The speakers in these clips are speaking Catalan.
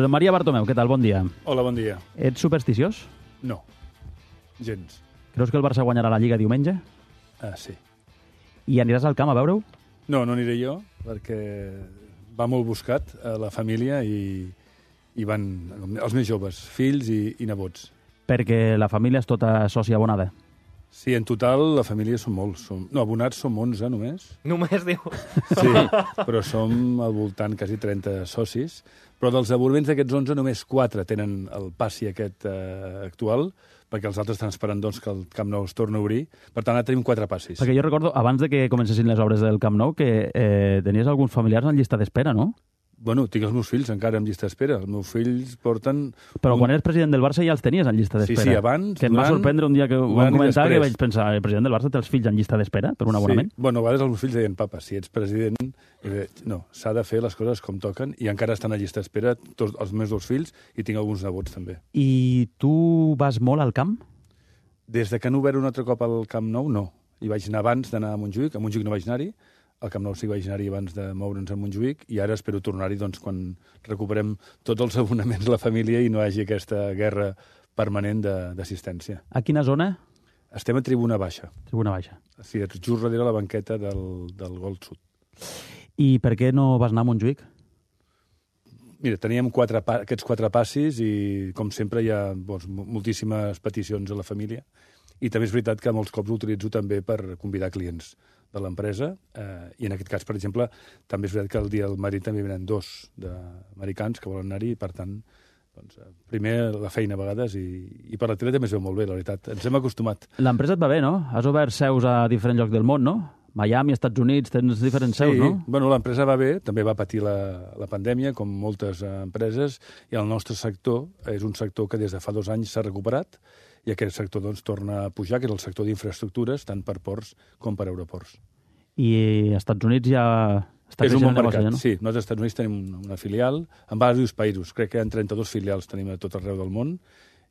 Josep Maria Bartomeu, què tal? Bon dia. Hola, bon dia. Ets supersticiós? No, gens. Creus que el Barça guanyarà la Lliga diumenge? Sí. I aniràs al camp a veure-ho? No, no aniré jo, perquè va molt buscat a la família i van els més joves, fills i nebots. Perquè la família és tota sòcia abonada. Sí, en total la família som molts. Abonats som 11 només. Només, diu? Sí, però som al voltant quasi 30 socis. Però dels abonaments d'aquests 11, només 4 tenen el passi aquest actual, perquè els altres estan esperant doncs, que el Camp Nou es torni a obrir. Per tant, ara tenim 4 passis. Perquè jo recordo, abans de que comencessin les obres del Camp Nou, que tenies alguns familiars en llista d'espera, no? Bueno, tinc els meus fills encara en llista d'espera. Els meus fills porten... Però quan eres president del Barça ja els tenies en llista d'espera. Sí, abans... Que em va sorprendre un dia que ho vam comentar, que vaig pensar, el president del Barça té els fills en llista d'espera per un abonament? Sí. Bueno, a vegades els meus fills deien, papa, si ets president... No, s'ha de fer les coses com toquen i encara estan a llista d'espera tots els meus 2 fills i tinc alguns nebots també. I tu vas molt al camp? Des de que han obert un altre cop al Camp Nou, no. Hi vaig anar abans d'anar a Montjuïc no vaig anar-hi, al Camp Nou sí que vaig anar-hi abans de moure'ns a Montjuïc i ara espero tornar-hi doncs, quan recuperem tots els abonaments de la família i no hi hagi aquesta guerra permanent d'assistència. A quina zona? Estem a Tribuna Baixa. Tribuna Baixa. Sí, just darrere la banqueta del Gol Sud. I per què no vas anar a Montjuïc? Mira, teníem aquests 4 passis i, com sempre, hi ha moltíssimes peticions a la família. I també és veritat que molts cops ho utilitzo també per convidar clients de l'empresa. I en aquest cas, per exemple, també és veritat que el dia del Madrid també venen 2 d'americans que volen anar-hi. Per tant, doncs, primer la feina a vegades i per la tele també es veu molt bé, la veritat. Ens hem acostumat. L'empresa et va bé, no? Has obert seus a diferents llocs del món, no? Miami, Estats Units, tens diferents seus, no? Sí, bueno, l'empresa va bé, també va patir la pandèmia, com moltes empreses, i el nostre sector és un sector que des de fa 2 anys s'ha recuperat, i aquest sector doncs, torna a pujar, que és el sector d'infraestructures, tant per ports com per aeroports. I als Estats Units ja està és un bon negoci, mercat, no? sí. Nosaltres als Estats Units tenim una filial en diversos països. Crec que hi ha 32 filials tenim a tot arreu del món,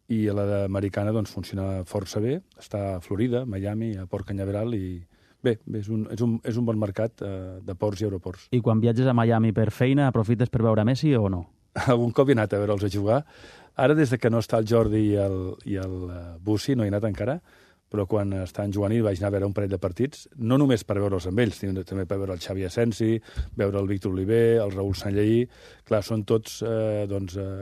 i la americana doncs, funciona força bé. Està a Florida, Miami, a Port Canyaveral, i bé, és un bon mercat de ports i aeroports. I quan viatges a Miami per feina, aprofites per veure Messi o no? Algun cop he anat a veure'ls a jugar. Ara, des de que no està el Jordi i el Bussi, no he anat encara, però quan estan jugant hi vaig anar a veure un parell de partits, no només per veure'ls amb ells, sinó també per veure el Xavi Asensi, veure el Víctor Oliver, el Raül Sanlleí. Clar, són tots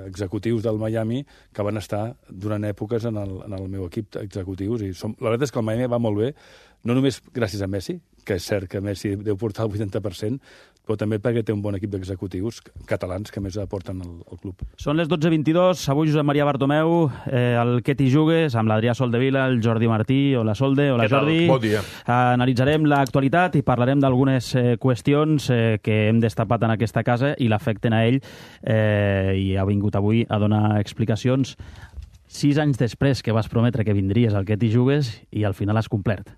executius del Miami que van estar durant èpoques en el meu equip executius. I la veritat és que el Miami va molt bé, no només gràcies a Messi, que és cert que Messi deu portar el 80%, però també perquè té un bon equip d'executius catalans que més aporten al club. Són les 12:22, avui Josep Maria Bartomeu, el Que t'hi jugues, amb l'Adrià Soldevila, el Jordi Martí, hola Solde, hola Jordi. Bon dia. Analitzarem l'actualitat i parlarem d'algunes qüestions que hem destapat en aquesta casa i l'afecten a ell, i ha vingut avui a donar explicacions 6 anys després que vas prometre que vindries al Que t'hi jugues i al final has complert.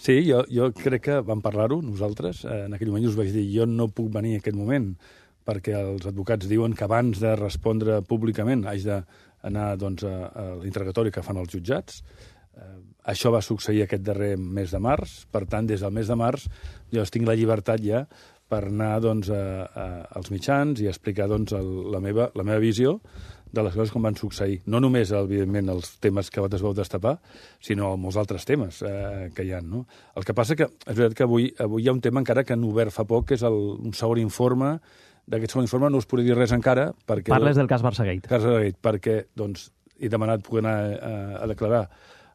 Sí, jo crec que vam parlar-ho nosaltres. En aquell moment us vaig dir, jo no puc venir en aquest moment perquè els advocats diuen que abans de respondre públicament haig d'anar doncs, a l'interrogatori que fan els jutjats. Això va succeir aquest darrer mes de març. Per tant, des del mes de març jo tinc la llibertat ja per anar doncs, als mitjans i explicar doncs, la meva visió de les coses com van succeir. No només, evidentment, els temes que vosaltres vau destapar, sinó molts altres temes que hi ha. No? El que passa que és veritat que avui hi ha un tema encara que han obert fa poc, que és un segon informe. D'aquest segon informe no us podré dir res encara. Perquè Parles del cas Barçagate. Perquè doncs, he demanat poder anar a declarar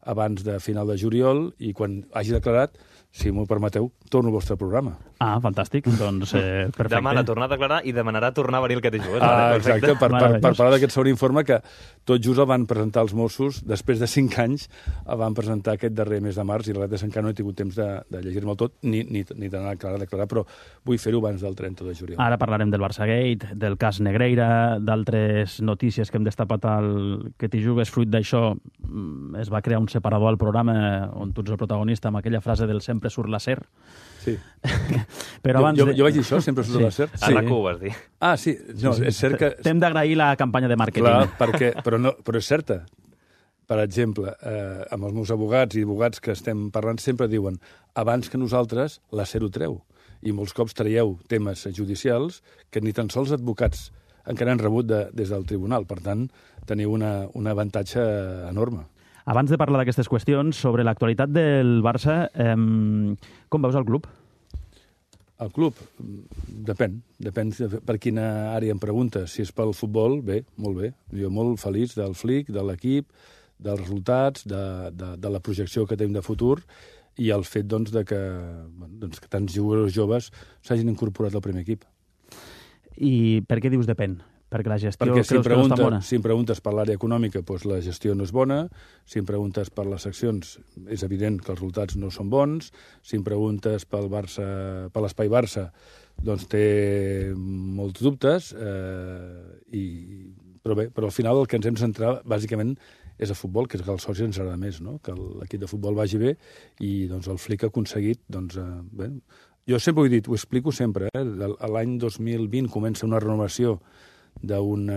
abans de final de juliol i quan hagi declarat, si m'ho permeteu, torno al vostre programa. Ah, fantàstic. Doncs perfecte. Demana tornar a declarar i demanarà tornar a venir el Que t'hi jugues. Exacte, per parlar d'aquest segon informe que tot just el van presentar els Mossos, després de 5 anys el van presentar aquest darrer mes de març i la veritat és que encara no he tingut temps de llegir-me'l tot ni d'anar a declarar, però vull fer-ho abans del 30 de juliol. Ara parlarem del Barçagate, del cas Negreira, d'altres notícies que hem destapat al Que t'hi jugues. Fruit d'això es va crear un separador al programa on tu ets el protagonista amb aquella frase del sempre surt la ser. Sí. Però abans jo vaig dir això, sempre surt la ser. A RAC1 ho vas dir. Ah, sí. No, és cert que... T'hem d'agrair la campanya de màrqueting. Clar, però és certa. Per exemple, amb els meus advocats i advocats que estem parlant sempre diuen abans que nosaltres la SER ho treu. I molts cops traieu temes judicials que ni tan sols advocats encara han rebut des del tribunal. Per tant, teniu un avantatge enorme. Abans de parlar d'aquestes qüestions, sobre l'actualitat del Barça, com veus el club? El club, depèn per quina àrea em preguntes. Si és pel futbol, bé, molt bé. Jo molt feliç del Flick, de l'equip, dels resultats, de la projecció que tenim de futur i el fet que tants jugadors joves s'hagin incorporat al primer equip. I per què dius depèn? Perquè la gestió Perquè creus que no és tan bona? Si em preguntes per l'àrea econòmica, doncs la gestió no és bona. Si em preguntes per les seccions, és evident que els resultats no són bons. Si em preguntes pel Barça, per l'Espai Barça, doncs té molts dubtes. Però al final el que ens hem de centrar, bàsicament, és el futbol, que és que als socis ens agrada més, no? Que l'equip de futbol vagi bé i doncs, el Flick ha aconseguit... Jo sempre ho he dit, ho explico sempre, l'any 2020 comença una renovació d'unes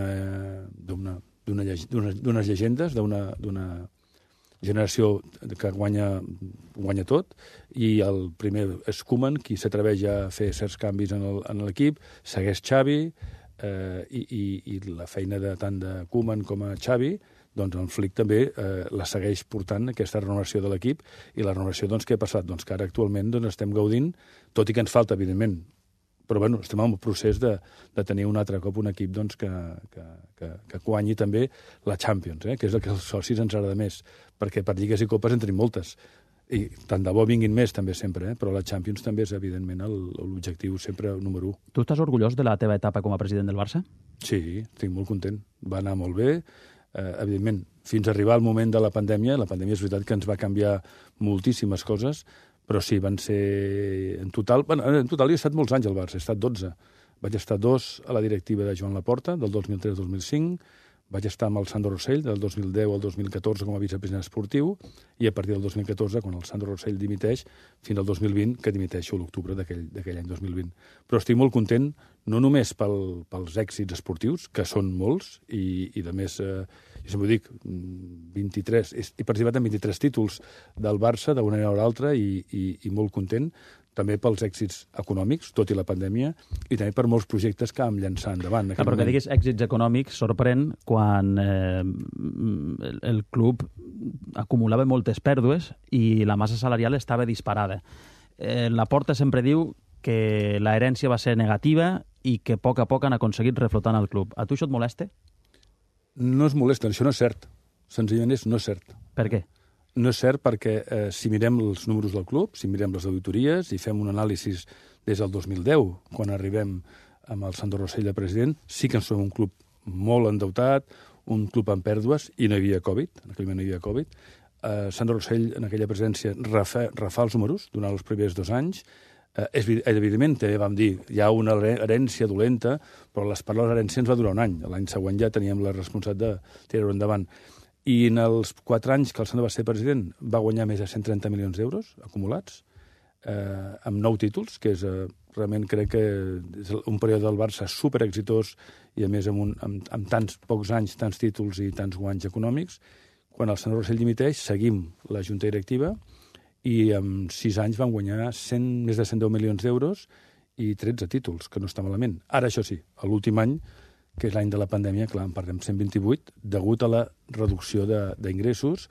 llegendes, d'una generació que guanya tot, i el primer és Koeman, qui s'atreveix a fer certs canvis en l'equip, segueix Xavi, i la feina tant de Koeman com a Xavi, doncs el Flick també la segueix portant, aquesta renovació de l'equip, i la renovació, doncs, què ha passat? Doncs que ara actualment estem gaudint, tot i que ens falta, evidentment, però bueno, estem en el procés de tenir un altre cop un equip doncs, que guanyi també la Champions, que és el que als socis ens agrada més, perquè per lligues i copes en tenim moltes. I tant de bo vinguin més, també sempre, però la Champions també és, evidentment, l'objectiu sempre número 1. Tu estàs orgullós de la teva etapa com a president del Barça? Sí, estic molt content. Va anar molt bé. Evidentment, fins a arribar al moment de la pandèmia és veritat que ens va canviar moltíssimes coses, però sí, van ser en total... En total he estat molts anys al Barça, he estat 12. Vaig estar 2 a la directiva de Joan Laporta, del 2003 al 2005, vaig estar amb el Sandro Rossell, del 2010 al 2014 com a vicepresident esportiu, i a partir del 2014, quan el Sandro Rossell dimiteix, fins al 2020, que dimiteixo a l'octubre d'aquell any 2020. Però estic molt content, no només pels èxits esportius, que són molts, i a més, jo sempre ho dic, 23, he participat en 23 títols del Barça, d'una manera o l'altra, i molt content, també pels èxits econòmics, tot i la pandèmia, i també per molts projectes que vam llançar endavant. Però que diguis èxits econòmics sorprèn quan el club acumulava moltes pèrdues i la massa salarial estava disparada. Laporta sempre diu que l'herència va ser negativa i que a poc han aconseguit reflotar el club. A tu això et molesta? No es molesta, això no és cert. Senzillament no és cert. Per què? No és cert perquè si mirem els números del club, si mirem les auditories i fem un anàlisi des del 2010, quan arribem amb el Sandro Rossell de president, sí que som un club molt endeutat, un club amb pèrdues, i no hi havia Covid, en aquell moment no hi havia Covid. Sandro Rossell, en aquella presidència, refà els números durant els primers 2 anys. Evidentment, també vam dir, hi ha una herència dolenta, però les paraules herència ens va durar un any. L'any següent ja teníem la responsabilitat de tirar-ho endavant. I en els 4 anys que el Sandro va ser president va guanyar més de 130 milions d'euros acumulats, amb 9 títols, que és realment crec que és un període del Barça superexitós i a més amb tants pocs anys, tants títols i tants guanys econòmics. Quan el Sandro Rossell dimiteix, seguim la junta directiva i en 6 anys van guanyar més de 110 milions d'euros i 13 títols, que no està malament. Ara, això sí, a l'últim any, que és l'any de la pandèmia, clar, en perdem 128, degut a la reducció d'ingressos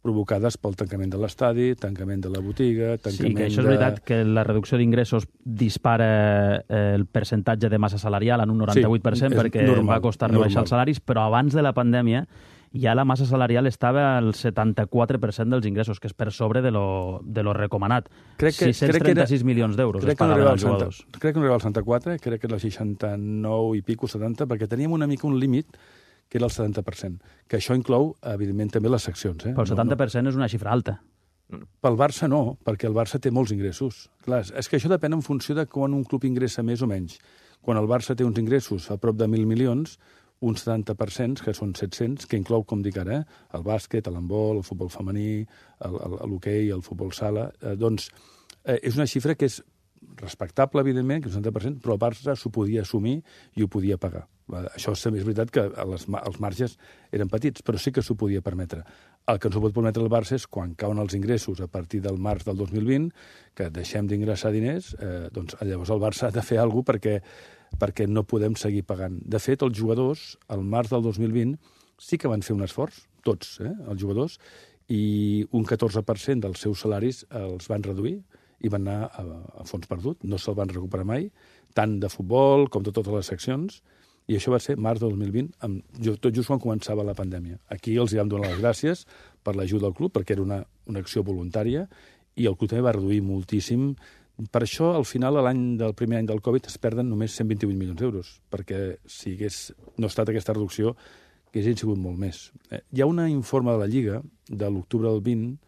provocades pel tancament de l'estadi, tancament de la botiga, tancament Sí, que això és veritat, que la reducció d'ingressos dispara el percentatge de massa salarial en un 98%, perquè va costar rebaixar els salaris, però abans de la pandèmia ja la massa salarial estava al 74% dels ingressos, que és per sobre de lo recomanat. 636 milions d'euros es pagaven als jugadors. Crec que no arribava al 74, crec que era el 69 i pico, 70, perquè teníem una mica un límit que era el 70%, que això inclou, evidentment, també les seccions. Però el 70% és una xifra alta. Pel Barça no, perquè el Barça té molts ingressos. Clar, és que això depèn en funció de quan un club ingressa més o menys. Quan el Barça té uns ingressos a prop de 1.000 milions, uns 70%, que són 700, que inclou, com dic ara, el bàsquet, l'handbol, el futbol femení, l'hoquei, el futbol sala, doncs és una xifra que és respectable, evidentment, que és un 70%, però el Barça s'ho podia assumir i ho podia pagar. Això és veritat que els marges eren petits, però sí que s'ho podia permetre. El que no s'ho pot permetre el Barça és quan cauen els ingressos a partir del març del 2020, que deixem d'ingressar diners, doncs llavors el Barça ha de fer alguna cosa perquè perquè no podem seguir pagant. De fet, els jugadors, al març del 2020, sí que van fer un esforç, tots, els jugadors, i un 14% dels seus salaris els van reduir i van anar a fons perdut. No se'l van recuperar mai, tant de futbol com de totes les seccions, i això va ser març del 2020, tot just quan començava la pandèmia. Aquí els vam donar les gràcies per l'ajuda del club, perquè era una acció voluntària, i el club també va reduir moltíssim. Per això, al final, del primer any del Covid, es perden només 128 milions d'euros, perquè si hagués no estat aquesta reducció, haguessin sigut molt més. Hi ha un informe de la Lliga, de l'octubre del 21,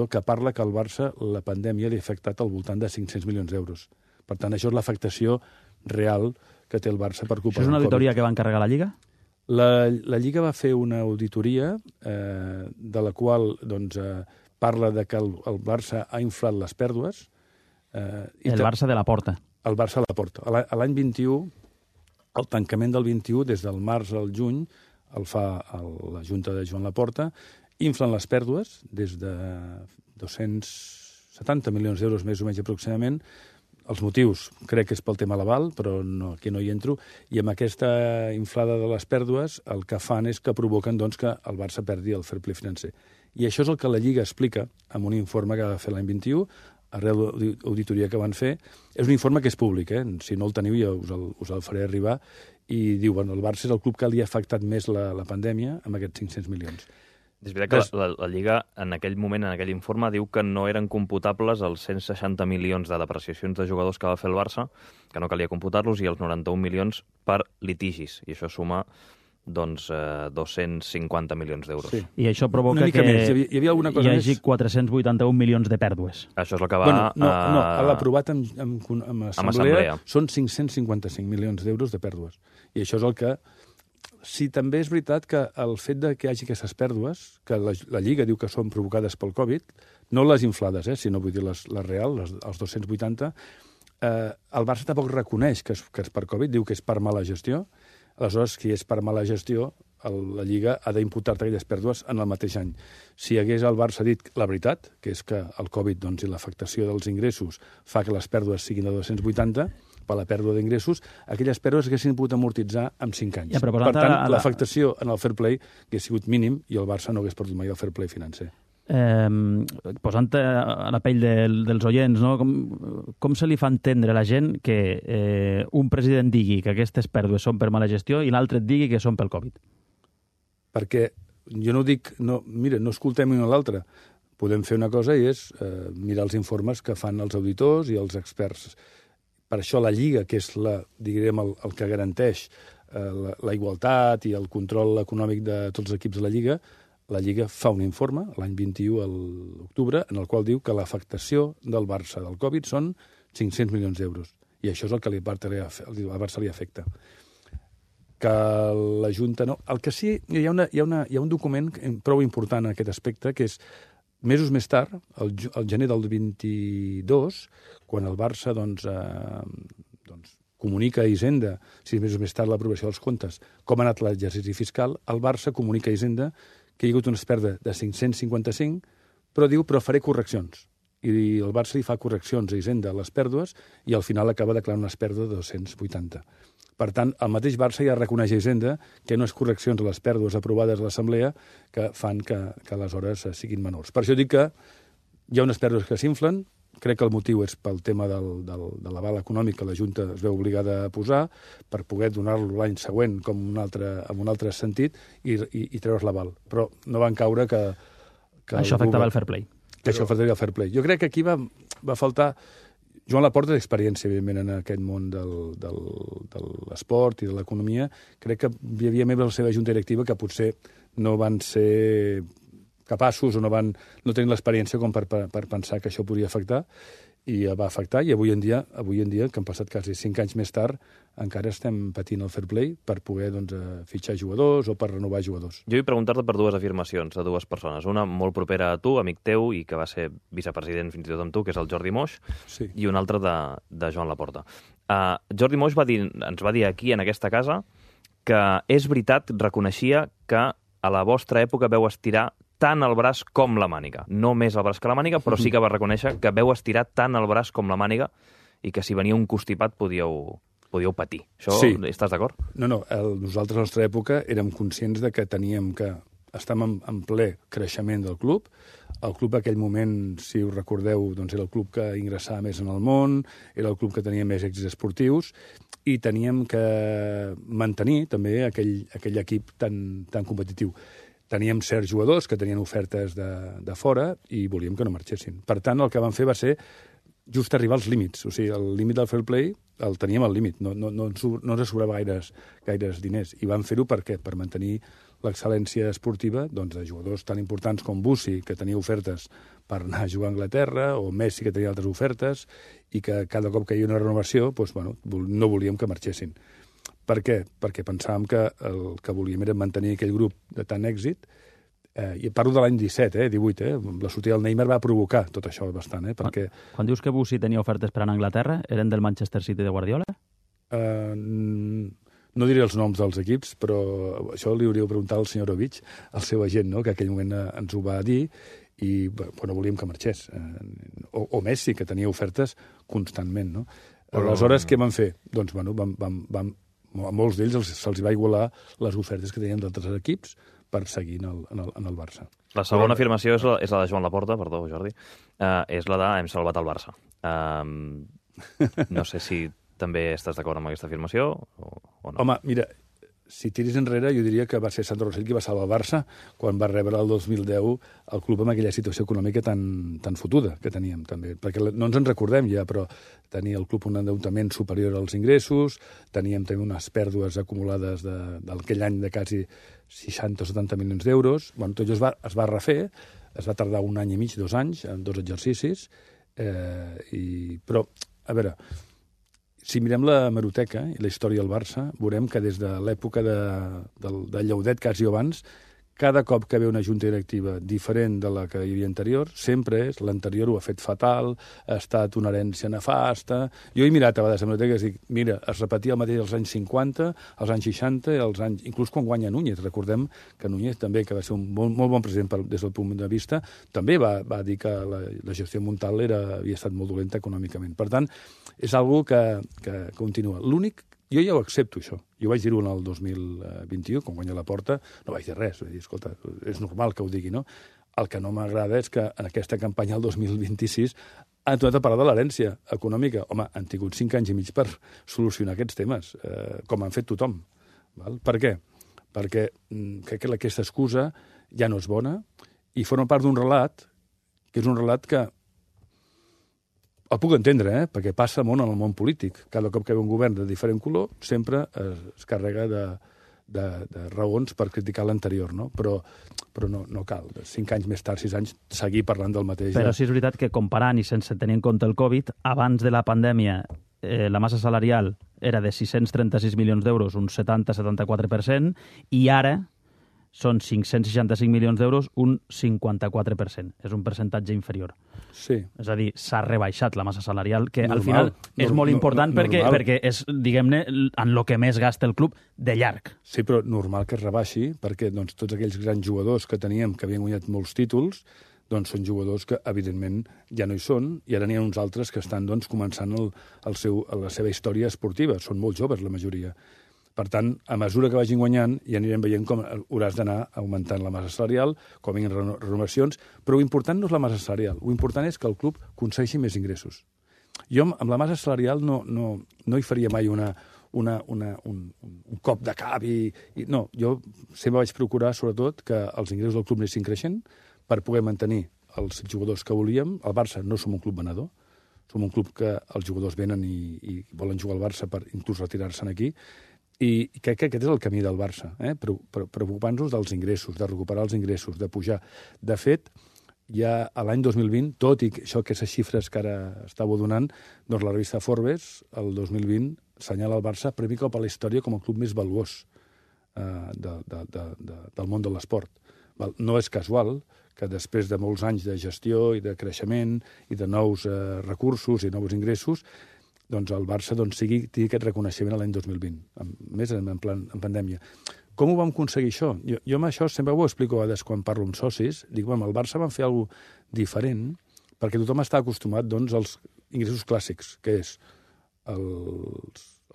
que parla que al Barça la pandèmia li ha afectat al voltant de 500 milions d'euros. Per tant, això és l'afectació real que té el Barça per culpa del Covid. Això és una auditoria que va encarregar la Lliga? La Lliga va fer una auditoria de la qual parla de que el Barça ha inflat les pèrdues. El Barça de la Porta. El Barça de la Porta. L'any 21, el tancament del 21, des del març al juny, el fa la Junta de Joan Laporta, inflen les pèrdues des de 270 milions d'euros més o menys aproximadament. Els motius crec que és pel tema Laval, però aquí no hi entro, i amb aquesta inflada de les pèrdues el que fan és que provoquen que el Barça perdi el fair play financer. I això és el que la Lliga explica en un informe que va fer l'any 21, arrel de l'auditoria que van fer. És un informe que és públic, si no el teniu ja us el faré arribar, i diu, el Barça és el club que li ha afectat més la pandèmia amb aquests 500 milions. És veritat que la Lliga, en aquell moment, en aquell informe, diu que no eren computables els 160 milions de depreciacions de jugadors que va fer el Barça, que no calia computar-los, i els 91 milions per litigis. I això suma 250 milions d'euros. Sí. I això provoca que hi havia alguna cosa hi hagi 481 milions de pèrdues. Això és el que va... No, l'aprovat en assemblea són 555 milions d'euros de pèrdues. I això és el que... Si també és veritat que el fet de que hi hagi aquestes pèrdues, que la Lliga diu que són provocades pel Covid, no les inflades, sinó vull dir les reals, els 280, el Barça tampoc reconeix que és per Covid, diu que és per mala gestió. Aleshores, si és per mala gestió, la Lliga ha d'imputar-te aquelles pèrdues en el mateix any. Si hagués el Barça dit la veritat, que és que el Covid i l'afectació dels ingressos fa que les pèrdues siguin de 280, per la pèrdua d'ingressos, aquelles pèrdues haguessin pogut amortitzar en 5 anys. Ja, per tant, l'afectació en el fair play hagués sigut mínim i el Barça no hagués perdut mai el fair play financer. Posant a la pell dels oients, no? Com se li fa entendre a la gent que un president digui que aquestes pèrdues són per mala gestió i l'altre et digui que són pel Covid? Perquè jo no dic... Mira, no escoltem un a l'altre. Podem fer una cosa i és mirar els informes que fan els auditors i els experts. Per això la Lliga, que és el que garanteix la igualtat i el control econòmic de tots els equips de la Lliga fa un informe, l'any 21 a l'octubre, en el qual diu que l'afectació del Barça del Covid són 500 milions d'euros. I això és el que al Barça li afecta. Que la Junta no... El que sí, hi ha un document prou important en aquest aspecte, que és mesos més tard, el gener del 22, quan el Barça comunica a Hisenda, 6 mesos més tard l'aprovació dels comptes, com ha anat l'exercici fiscal, el Barça comunica a Hisenda que hi ha hagut una pèrdua de 555, però faré correccions. I el Barça li fa correccions a Hisenda a les pèrdues i al final acaba declarant unes pèrdues de 280. Per tant, el mateix Barça ja reconeix a Hisenda que no és correccions a les pèrdues aprovades a l'Assemblea que fan que aleshores siguin menors. Per això dic que hi ha unes pèrdues que s'inflen, crec que el motiu és pel tema de l'aval econòmic que la Junta es veu obligada a posar per poder donar-lo l'any següent en un altre sentit i treure's l'aval. Però no van caure que això afectava el fair play. Que això afectaria el fair play. Jo crec que aquí va faltar... Joan Laporta té experiència, evidentment, en aquest món de l'esport i de l'economia. Crec que hi havia membres de la seva junta directiva que potser no van ser capaços o no tenien l'experiència com per pensar que això podria afectar, i va afectar, i avui en dia, que han passat quasi 5 anys més tard, encara estem patint el fair play per poder fitxar jugadors o per renovar jugadors. Jo vull preguntar-te per dues afirmacions de dues persones. Una molt propera a tu, amic teu, i que va ser vicepresident fins i tot amb tu, que és el Jordi Moix, sí. I una altra de Joan Laporta. Jordi Moix ens va dir aquí, en aquesta casa, que és veritat, reconeixia que a la vostra època veu estirar tant el braç com la màniga. No més el braç que la màniga, però sí que va reconèixer que veu estirar tant el braç com la màniga i que si venia un constipat podíeu podíeu patir. Això, Sí. estàs d'acord? No, nosaltres a la nostra època érem conscients de que teníem que estàvem en ple creixement del club. El club, en aquell moment, si us recordeu, doncs era el club que ingressava més en el món, era el club que tenia més èxits esportius, i teníem que mantenir també aquell equip tan competitiu. Teníem certs jugadors que tenien ofertes de fora i volíem que no marxessin. Per tant, el que vam fer va ser just arribar als límits. O sigui, el límit del fair play el teníem al límit. No ens sobrava gaires diners. I vam fer-ho per què? Per mantenir l'excel·lència esportiva doncs, de jugadors tan importants com Bussi, que tenia ofertes per anar a jugar a Anglaterra, o Messi, que tenia altres ofertes, i que cada cop que hi havia una renovació doncs, no volíem que marxessin. Per què? Perquè pensàvem que el que volíem era mantenir aquell grup de tant èxit. I parlo de l'any 17, 18, la sortida del Neymar va provocar tot això bastant, perquè... Quan dius que Bussi tenia ofertes per anar a Anglaterra, eren del Manchester City de Guardiola? No diré els noms dels equips, però això li hauríeu preguntat al senyor Ovich, el seu agent, no? Que en aquell moment ens ho va dir, i no volíem que marxés. O Messi, que tenia ofertes constantment, no? Aleshores, què van fer? Doncs, a molts d'ells se'ls va igualar les ofertes que tenien d'altres equips per seguir en el Barça. La segona afirmació és la de Joan Laporta, perdó, Jordi, és la de hem salvat el Barça. No sé si també estàs d'acord amb aquesta afirmació o no. Home, mira, si tiris enrere, jo diria que va ser Sandro Rosell qui va salvar el Barça quan va rebre el 2010 el club amb aquella situació econòmica tan fotuda que teníem, també. Perquè no ens en recordem ja, però tenia el club un endeutament superior als ingressos, teníem també unes pèrdues acumulades d'aquell any de quasi 60 o 70 milions d'euros. Tot això es va refer, es va tardar 1 any i mig, 2 anys, en 2 exercicis, però, a veure, si mirem la hemeroteca i la història del Barça, veurem que des de l'època de Llaudet, quasi abans, cada cop que ve una junta directiva diferent de la que hi havia anterior, sempre és l'anterior ho ha fet fatal, ha estat una herència nefasta... Jo he mirat a vegades hemeroteques i dic, mira, es repetia el mateix als anys 50, als anys 60, inclús quan guanya Núñez. Recordem que Núñez també, que va ser un molt bon president des del punt de vista, també va dir que la gestió Montal havia estat molt dolenta econòmicament. Per tant, és algo que continua. L'únic, jo ja ho accepto, això. Jo vaig dir-ho en el 2021, quan guanya Laporta, no vaig dir res. Vaig dir, escolta, és normal que ho digui, no? El que no m'agrada és que en aquesta campanya, el 2026, han tornat a parlar de l'herència econòmica. Home, han tingut 5 anys i mig per solucionar aquests temes, com han fet tothom. Val? Per què? Perquè crec que aquesta excusa ja no és bona i forma part d'un relat, que és un relat que el puc entendre, perquè passa molt en el món polític. Cada cop que ve un govern de diferent color, sempre es carrega de raons per criticar l'anterior, no? Però no cal. 5 anys més tard, 6 anys, seguir parlant del mateix. Però sí és veritat que comparant i sense tenir en compte el Covid, abans de la pandèmia la massa salarial era de 636 milions d'euros, un 70-74%, i ara són 565 milions d'euros, un 54%. És un percentatge inferior. Sí. És a dir, s'ha rebaixat la massa salarial, que al final és molt important perquè és, diguem-ne, en el que més gasta el club de llarg. Sí, però normal que es rebaixi, perquè tots aquells grans jugadors que teníem, que havien guanyat molts títols, doncs són jugadors que, evidentment, ja no hi són, i ara n'hi ha uns altres que estan començant la seva història esportiva. Són molt joves, la majoria. Per tant, a mesura que vagin guanyant, ja anirem veient com hauràs d'anar augmentant la massa salarial, com vinguin renovacions, però l'important no és la massa salarial, l'important és que el club aconsegueixi més ingressos. Jo amb la massa salarial no hi faria mai un cop de cap no, jo sempre vaig procurar, sobretot, que els ingressos del club anessin creixent per poder mantenir els jugadors que volíem. Al Barça no som un club venedor, som un club que els jugadors venen i volen jugar al Barça per inclús retirar-se'n aquí. I crec que aquest és el camí del Barça, preocupant-nos dels ingressos, de recuperar els ingressos, de pujar. De fet, ja a l'any 2020, tot i això, aquestes xifres que ara estàveu donant, doncs la revista Forbes, el 2020, assenyala el Barça primer cop a la història com el club més valuós del món de l'esport. No és casual que després de molts anys de gestió i de creixement i de nous recursos i nous ingressos, doncs el Barça tingui aquest reconeixement l'any 2020, més en pandèmia. Com ho vam aconseguir això? Jo amb això sempre ho explico a vegades quan parlo amb socis. Dic, el Barça van fer alguna cosa diferent perquè tothom està acostumat als ingressos clàssics, que és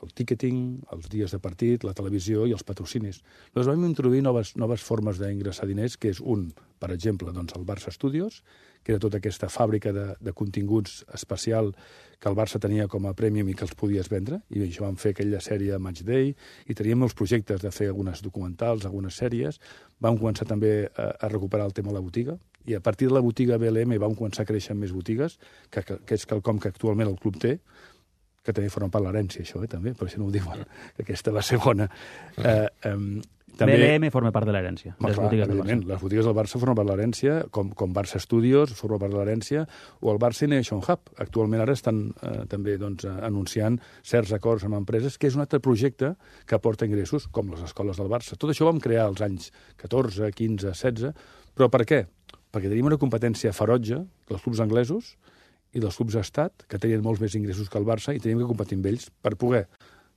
el ticketing, els dies de partit, la televisió i els patrocinis. Llavors vam introduir noves formes d'ingressar diners, que és per exemple, doncs, el Barça Studios, que era tota aquesta fàbrica de continguts especial que el Barça tenia com a prèmium i que els podies vendre, i això vam fer aquella sèrie Match Day, i teníem molts projectes de fer algunes documentals, algunes sèries. Vam començar també a recuperar el tema de la botiga, i a partir de la botiga BLM vam començar a créixer amb més botigues, que és quelcom que actualment el club té, que també formen part de l'herència, això, també, per això no ho diuen, que aquesta va ser bona. També... BLM forma part de l'herència. Evidentment, les botigues del Barça formen part de l'herència, com Barça Studios forma part de l'herència, o el Barça Innovation Hub. Actualment ara estan també anunciant certs acords amb empreses, que és un altre projecte que aporta ingressos, com les escoles del Barça. Tot això ho vam crear als anys 14, 15, 16, però per què? Perquè tenim una competència ferotge dels clubs anglesos i dels clubs d'estat, que tenien molts més ingressos que el Barça, i teníem que competir amb ells per poder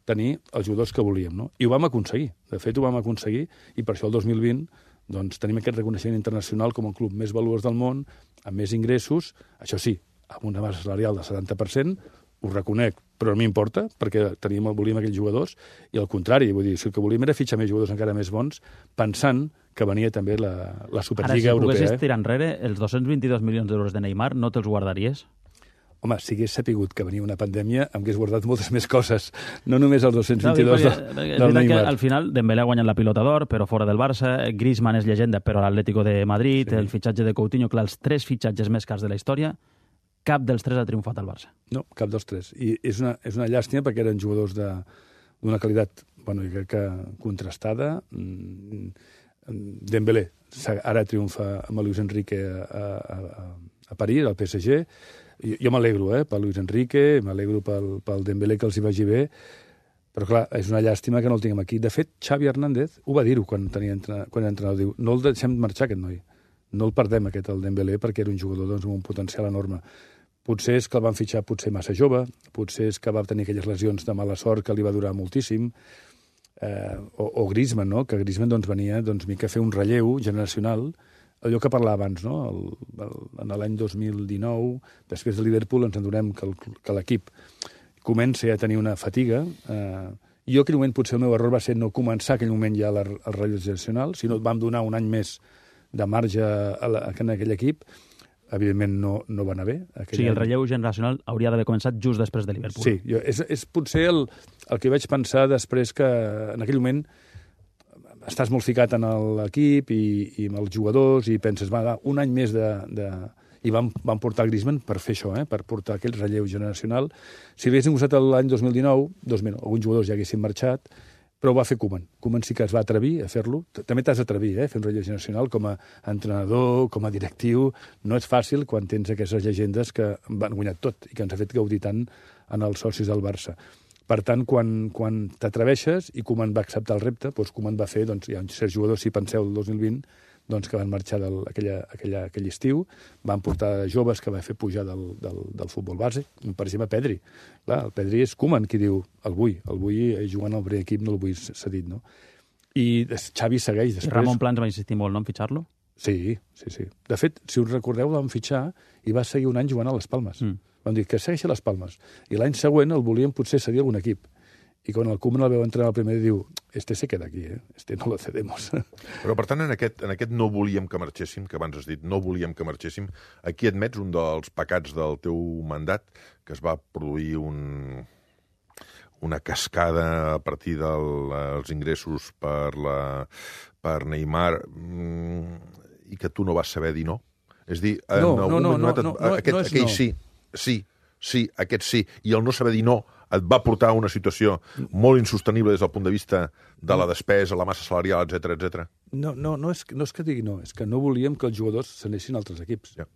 tenir els jugadors que volíem, no? I ho vam aconseguir. De fet, ho vam aconseguir, i per això el 2020 doncs, tenim aquest reconeixement internacional com el club més valuós del món, amb més ingressos, això sí, amb una massa salarial del 70%, ho reconec, però no m'importa, perquè volíem aquells jugadors, i al contrari, vull dir, si el que volíem era fitxar més jugadors encara més bons, pensant que venia també la Superliga Europea. Ara, si poguessis tirar enrere, els 222 milions d'euros de Neymar no te'ls guardaries? Home, si hagués sapigut que venia una pandèmia, em hagués guardat moltes més coses, no només els 222 del Neymar. Al final, Dembélé ha guanyat la Pilota d'Or, però fora del Barça, Griezmann és llegenda, però a l'Atlético de Madrid, sí. El fitxatge de Coutinho, clar, els 3 fitxatges més cars de la història, cap dels 3 ha triomfat al Barça. No, cap dels 3. I és una llàstima perquè eren jugadors d'una qualitat, bueno, jo crec que contrastada. Dembélé ara triomfa amb el Luis Enrique a París, al PSG. Jo m'alegro per Luis Enrique, m'alegro pel Dembélé que els hi vagi bé, però clar, és una llàstima que no el tinguem aquí. De fet, Xavi Hernández ho va dir-ho quan era entrenador, diu, no el deixem marxar aquest noi, no el perdem el Dembélé, perquè era un jugador amb un potencial enorme. Potser és que el van fitxar massa jove, potser és que va tenir aquelles lesions de mala sort que li va durar moltíssim, o Griezmann, no? Que Griezmann venia mica a fer un relleu generacional, allò que parlava abans, no? En l'any 2019, després de Liverpool, ens adonem que l'equip comença a tenir una fatiga. Jo, en aquell moment, potser el meu error va ser no començar aquell moment ja el relleu generacional, sinó vam donar un any més de marge en aquell equip. Evidentment no va anar bé. O sigui, el relleu generacional hauria d'haver començat just després de Liverpool. Sí, és potser el que vaig pensar després, que en aquell moment estàs molt ficat en l'equip i amb els jugadors i penses, va, un any més I vam portar Griezmann per fer això, per portar aquell relleu generacional. Si haguéssim usat l'any 2019, alguns jugadors ja haguessin marxat, però ho va fer Koeman. Koeman sí que es va atrevir a fer-lo. També t'has d'atrevir, a fer un relleu generacional com a entrenador, com a directiu. No és fàcil quan tens aquestes llegendes que van guanyar tot i que ens ha fet gaudir tant en els socis del Barça. Per tant, quan t'atreveixes, i Koeman va acceptar el repte, doncs Koeman va fer, hi ha certs jugadors, si penseu, el 2020, que van marxar aquell estiu, van portar joves que va fer pujar del futbol base, per exemple, Pedri. Clar, el Pedri és Koeman qui diu, el vull jugant al primer equip, no el vull cedit, no? I Xavi segueix després. I Ramon Plans va insistir molt, no?, en fitxar-lo? Sí. De fet, si us recordeu, el van fitxar i va seguir un any jugant a les Palmes. Van dir que segueixi a les Palmes. I l'any següent el volien potser cedir a algun equip. I quan el Koeman el veu entrar al primer diu, se queda aquí, no lo cedemos. Però, per tant, en aquest no volíem que marxéssim, que abans has dit, no volíem que marxéssim, aquí admets un dels pecats del teu mandat, que es va produir una cascada a partir dels ingressos per Neymar i que tu no vas saber dir no? És dir, aquest sí, i el no saber dir no et va portar a una situació molt insostenible des del punt de vista de la despesa, la massa salarial, etc. No és que digui no, és que no volíem que els jugadors s'anessin a altres equips. Ja.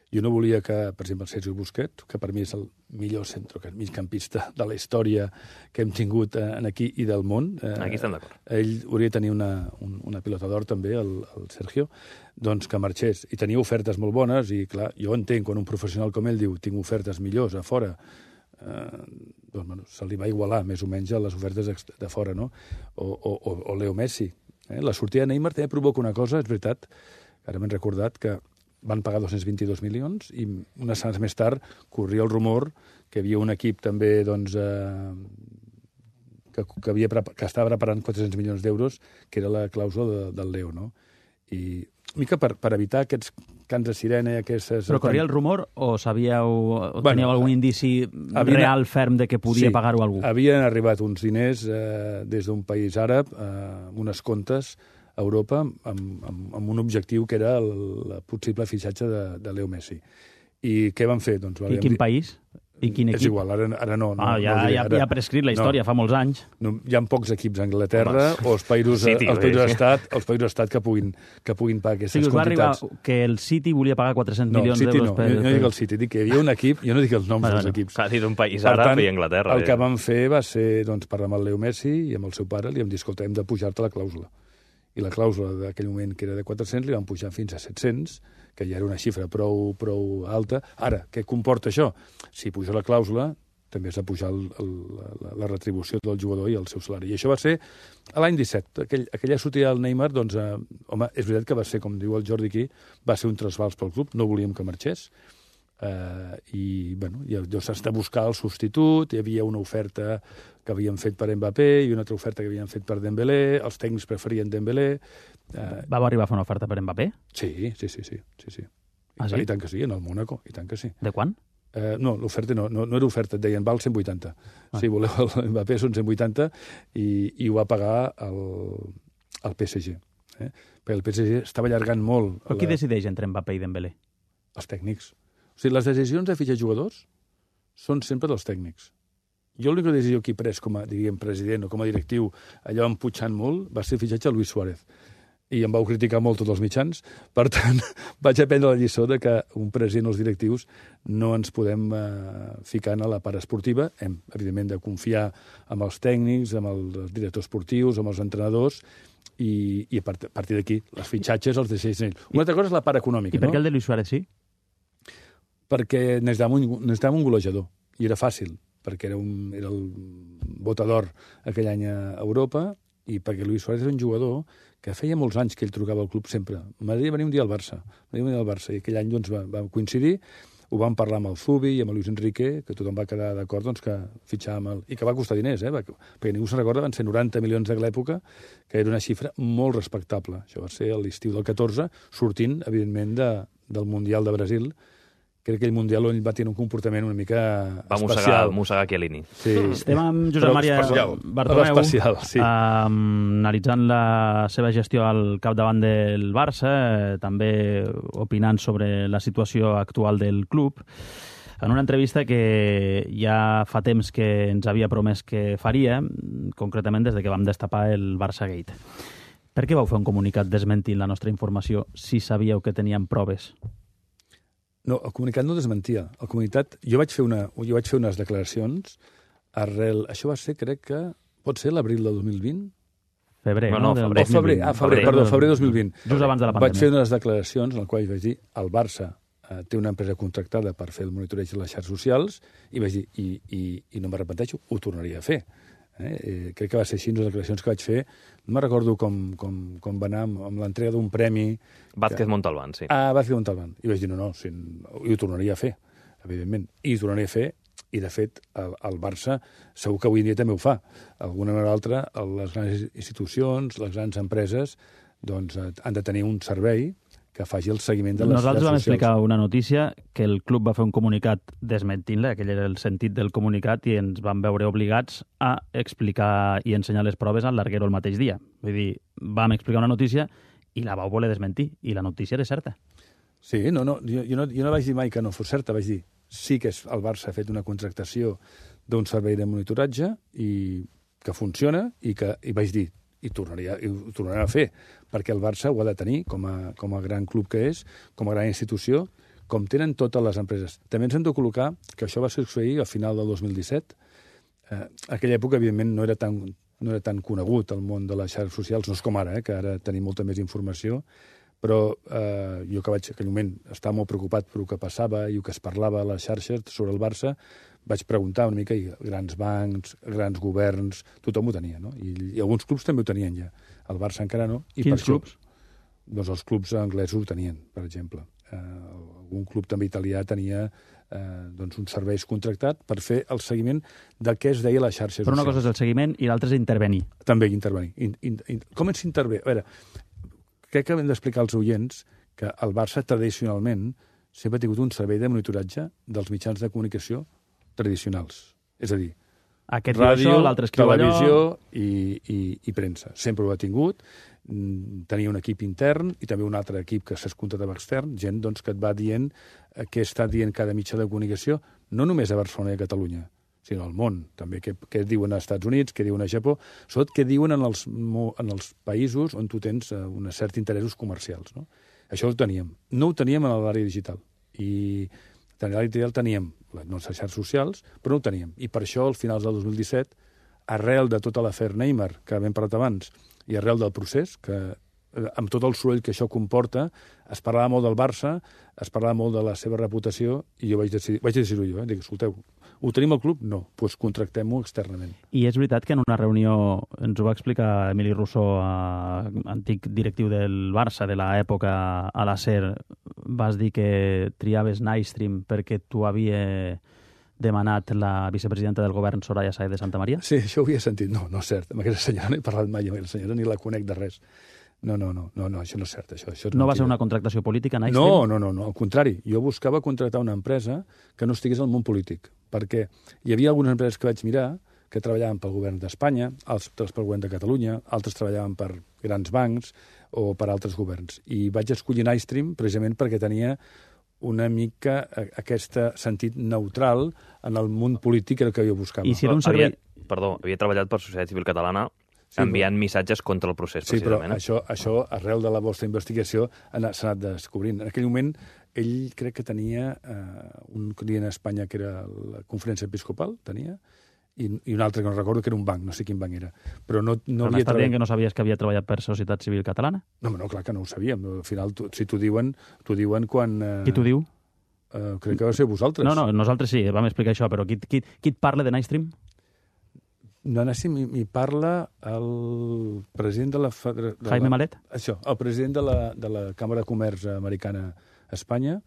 Jo no volia que, per exemple, el Sergio Busquets, que per mi és el millor migcampista de la història que hem tingut aquí i del món. Aquí estem d'acord. Ell hauria de tenir una pilota d'or també, el Sergio, doncs que marxés. I tenia ofertes molt bones i, clar, jo entenc quan un professional com ell diu tinc ofertes millors a fora, se li va igualar més o menys a les ofertes de fora, no? O Leo Messi. La sortida de Neymar també provoca una cosa, és veritat, ara m'he recordat que van pagar 222 milions i unes setmanes més tard corria el rumor que hi havia un equip també que estava preparant 400 milions d'euros, que era la clàusula del Leo, no? I mica per evitar aquests cants de sirena i aquestes... Però corria el rumor o sabíeu, o teníeu algun indici real, ferm, de que podia pagar-ho algú? Havien arribat uns diners des d'un país àrab, unes comptes a Europa, amb un objectiu que era el possible fitxatge de Leo Messi. I què van fer? Doncs, I quin país? I quin equip? És igual, ara no. Ja ha prescrit la història, fa molts anys. No, hi ha pocs equips a Anglaterra o els països estat que puguin pagar aquestes quantitats. Va arribar que el City volia pagar 400 milions d'euros per... No dic el City, dic que hi havia un equip, jo no dic els noms dels equips. Clar, dit un país àrab i Anglaterra. El que vam fer va ser parlar amb el Leo Messi i amb el seu pare, li vam dir, escolta, hem de pujar-te la clàusula. I la clàusula d'aquell moment, que era de 400, li van pujar fins a 700, que ja era una xifra prou alta. Ara, què comporta això? Si puja la clàusula, també has de pujar la retribució del jugador i el seu salari. I això va ser a l'any 17. Aquella sortida del Neymar, doncs, home, és veritat que va ser, com diu el Jordi aquí, va ser un trasbals pel club, no volíem que marxés, i bueno, llavors s'ha de buscar el substitut, hi havia una oferta que havien fet per Mbappé i una altra oferta que havien fet per Dembélé, els tècnics preferien Dembélé. Va arribar a fer una oferta per Mbappé? Sí. Ah, sí? I tant que sí, en el Mónaco, i tant que sí. De quan? No, l'oferta no era oferta, et deien, val 180. Si voleu el Mbappé són 180 i ho va pagar el PSG. Perquè el PSG estava allargant molt... Però qui decideix entre Mbappé i Dembélé? Els tècnics. O sigui, les decisions de fitxar jugadors són sempre dels tècnics. Jo l'única decisió que he pres com a, diríem, president o com a directiu, allò emputxant molt, va ser el fitxatge a Luis Suárez. I em vau criticar molt tots els mitjans. Per tant, vaig aprendre la lliçó de que un president o els directius no ens podem ficar a la part esportiva. Hem, evidentment, de confiar en els tècnics, en els directors esportius, en els entrenadors, i a partir d'aquí, els fitxatges els decideixen ells. Una altra cosa és la part econòmica. I per què el de Luis Suárez sí? Perquè necessitàvem un golejador, i era fàcil, perquè era el botador aquell any a Europa, i perquè Luis Suárez era un jugador que feia molts anys que ell trucava al club sempre. M'agradaria venir un dia al Barça. I aquell any doncs, va coincidir, ho vam parlar amb el Zubi i amb el Luis Enrique, que tothom va quedar d'acord doncs, que fitxàvem i que va costar diners, perquè ningú se'n recorda, van ser 90 milions de l'època, que era una xifra molt respectable. Això va ser a l'estiu del 14, sortint, evidentment, del Mundial de Brasil. Crec que aquell Mundial on ell va tenir un comportament una mica especial. Va mossegar Chiellini. Sí. Estem amb Josep Maria Bartomeu, analitzant la seva gestió al capdavant del Barça, també opinant sobre la situació actual del club, en una entrevista que ja fa temps que ens havia promès que faria, concretament des de que vam destapar el Barça Gate. Per què vau fer un comunicat desmentint la nostra informació si sabíeu que teníem proves? No, el comunicat no desmentia. El comunicat... Jo vaig fer unes declaracions arrel... Això va ser, crec que... Pot ser l'abril del 2020? Febrer, no? Febrer 2020. Just abans de la pandèmia. Vaig fer unes declaracions en les quals vaig dir el Barça té una empresa contractada per fer el monitoreig de les xarxes socials i vaig dir, i no m'arrepenteixo, ho tornaria a fer. Crec que va ser així les declaracions que vaig fer. No me'n recordo com va anar amb l'entrega d'un premi... Vázquez Montalbán, sí. Vázquez Montalbán. I vaig dir, no, ho tornaria a fer, evidentment. I ho tornaria a fer, i de fet el Barça segur que avui en dia també ho fa. D'alguna manera o altra, les grans institucions, les grans empreses, doncs han de tenir un servei que faci el seguiment de les xarxes socials. Nosaltres vam explicar una notícia que el club va fer un comunicat desmentint-la, aquell era el sentit del comunicat, i ens vam veure obligats a explicar i ensenyar les proves al larguero el mateix dia. Vull dir, vam explicar una notícia i la vau voler desmentir, i la notícia era certa. Sí, jo no vaig dir mai que no fos certa, vaig dir sí que el Barça ha fet una contractació d'un servei de monitoratge i que funciona, i vaig dir i ho tornarà a fer, perquè el Barça ho ha de tenir com a gran club que és, com a gran institució, com tenen totes les empreses. També ens hem de col·locar que això va succeir al final del 2017. Aquella època, evidentment, no era tan conegut el món de les xarxes socials, no és com ara, que ara tenim molta més informació, però jo que vaig, en aquell moment, estar molt preocupat per el que passava i el que es parlava a les xarxes sobre el Barça, vaig preguntar una mica, i grans bancs, grans governs, tothom ho tenia, no? I alguns clubs també ho tenien ja. El Barça encara no. Quins clubs? Doncs els clubs anglesos ho tenien, per exemple. Algun club també italià tenia uns serveis contractats per fer el seguiment del que es deia la xarxa social. Però una cosa és el seguiment i l'altra és intervenir. També intervenir. Com s'intervé? A veure, crec que hem d'explicar als oients que el Barça tradicionalment sempre ha tingut un servei de monitoratge dels mitjans de comunicació tradicionals. És a dir, aquest ràdio, això, l'altre escriu televisió allò... i premsa. Sempre ho ha tingut. Tenia un equip intern i també un altre equip que s'es contractava extern, gent doncs, que et va dient què està dient cada mitjà de comunicació, no només a Barcelona i a Catalunya, sinó al món. També què diuen als Estats Units, què diuen a Japó, sobretot què diuen en els països on tu tens uns certs interessos comercials. No? Això ho teníem. No ho teníem en l'àrea digital. I en l'àrea digital teníem les nostres xarxes socials, però no ho teníem. I per això, al finals del 2017, arrel de tota l'afer Neymar, que hem parlat abans, i arrel del procés, que amb tot el soroll que això comporta, es parlava molt del Barça, es parlava molt de la seva reputació, i jo vaig decidir-ho jo. Dic, escolteu, ho tenim al club? No, doncs contractem-ho externament. I és veritat que en una reunió, ens ho va explicar Emili Rousseau, antic directiu del Barça de l'època a la SER, vas dir que triaves Nightstream perquè tu havia demanat la vicepresidenta del govern, Soraya Sáez de Santa Maria? Sí, això ho havia sentit. No, no és cert. Amb aquesta senyora no he parlat mai, amb aquesta senyora ni la conec de res. No, això no és cert. Això és no va ser una contractació política, Nightstream? No, al contrari. Jo buscava contractar una empresa que no estigués al món polític, perquè hi havia algunes empreses que vaig mirar que treballaven pel govern d'Espanya, altres pel govern de Catalunya, altres treballaven per grans bancs o per altres governs. I vaig escollir Nightstream precisament perquè tenia una mica aquest sentit neutral en el món polític que jo buscava. I si era un servei... Havia treballat per Societat Civil Catalana enviant missatges contra el procés, precisament. Sí, però això, arrel de la vostra investigació, s'ha anat descobrint. En aquell moment, ell crec que tenia un client a Espanya que era la Conferència Episcopal, tenia, i un altre que no recordo, que era un banc, no sé quin banc era. Però no havia m'estàs dient que no sabies que havia treballat per Societat Civil Catalana? No, clar que no ho sabíem. Al final, si t'ho diuen quan... Qui t'ho diu? Crec que va ser vosaltres. No, nosaltres sí, vam explicar això, però qui et parla de Nightstream? De Nightstream m'hi parla el president de la... Jaime Malet? Això, el president de la Càmera de Comerç Americana a Espanya.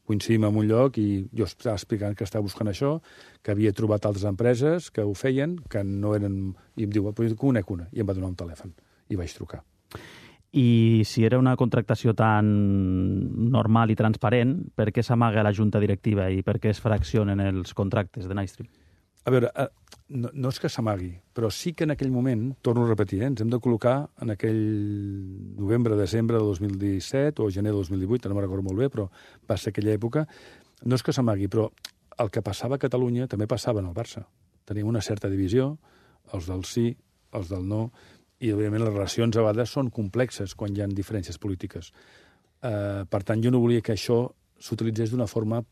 Coincidim en un lloc i jo estava explicant que estava buscant això, que havia trobat altres empreses que ho feien, que no eren... I em diu, però conec una. I em va donar un telèfon. I vaig trucar. I si era una contractació tan normal i transparent, per què s'amaga la junta directiva i per què es fraccionen els contractes de Nightstream? A veure, no és que s'amagui, però sí que en aquell moment, torno a repetir, ens hem de col·locar en aquell novembre-desembre de 2017 o gener de 2018, no me'n recordo molt bé, però va ser aquella època. No és que s'amagui, però el que passava a Catalunya també passava en el Barça. Teníem una certa divisió, els del sí, els del no, i, òbviament, les relacions a vegades són complexes quan hi ha diferències polítiques. Per tant, jo no volia que això s'utilitzés d'una forma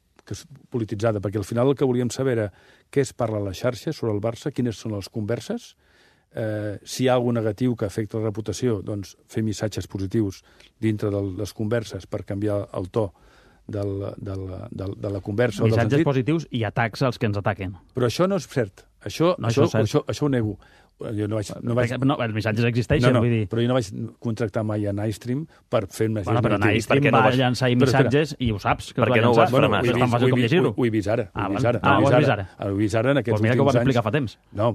polititzada, perquè al final el que volíem saber era què es parla a la xarxa sobre el Barça, quines són les converses, si hi ha alguna negatiu que afecta la reputació, doncs fer missatges positius dintre de les converses per canviar el to de la conversa. Missatges positius i atacs als que ens ataquen. Però això no és cert. Això ho nego. Jo no vaig... No, els missatges existeixen, vull dir... Però jo no vaig contractar mai a Nightstream per fer més... Bueno, però Nightstream va llançar missatges i ho saps, que per què no ho vas frenar? És tan fàcil com llegir-ho. Ho he vist ara. Ho has vist ara? Ho he vist ara en aquests últims anys. Doncs mira que ho vam explicar fa temps. No,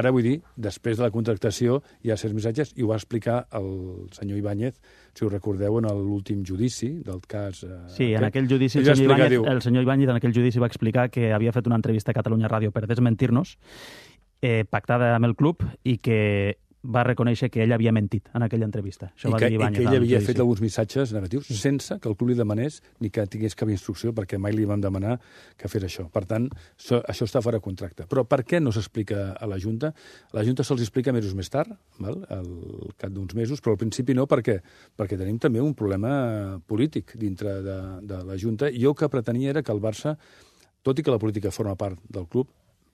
ara vull dir, després de la contractació hi ha certs missatges i ho va explicar el senyor Ibáñez, si us recordeu, en l'últim judici del cas... Sí, en aquell judici el senyor Ibáñez en aquell judici va explicar que havia fet una entrevista a Catalunya Ràdio per desmentir-nos, pactada amb el club, i que va reconèixer que ell havia mentit en aquella entrevista. I que ell havia fet alguns missatges negatius sense que el club li demanés ni que tingués cap instrucció, perquè mai li vam demanar que fes això. Per tant, això està fora de contracte. Però per què no s'explica a la Junta? A la Junta se'ls explica mesos més tard, al cap d'uns mesos, però al principi no, perquè tenim també un problema polític dintre de la Junta. I jo el que pretenia era que el Barça, tot i que la política forma part del club,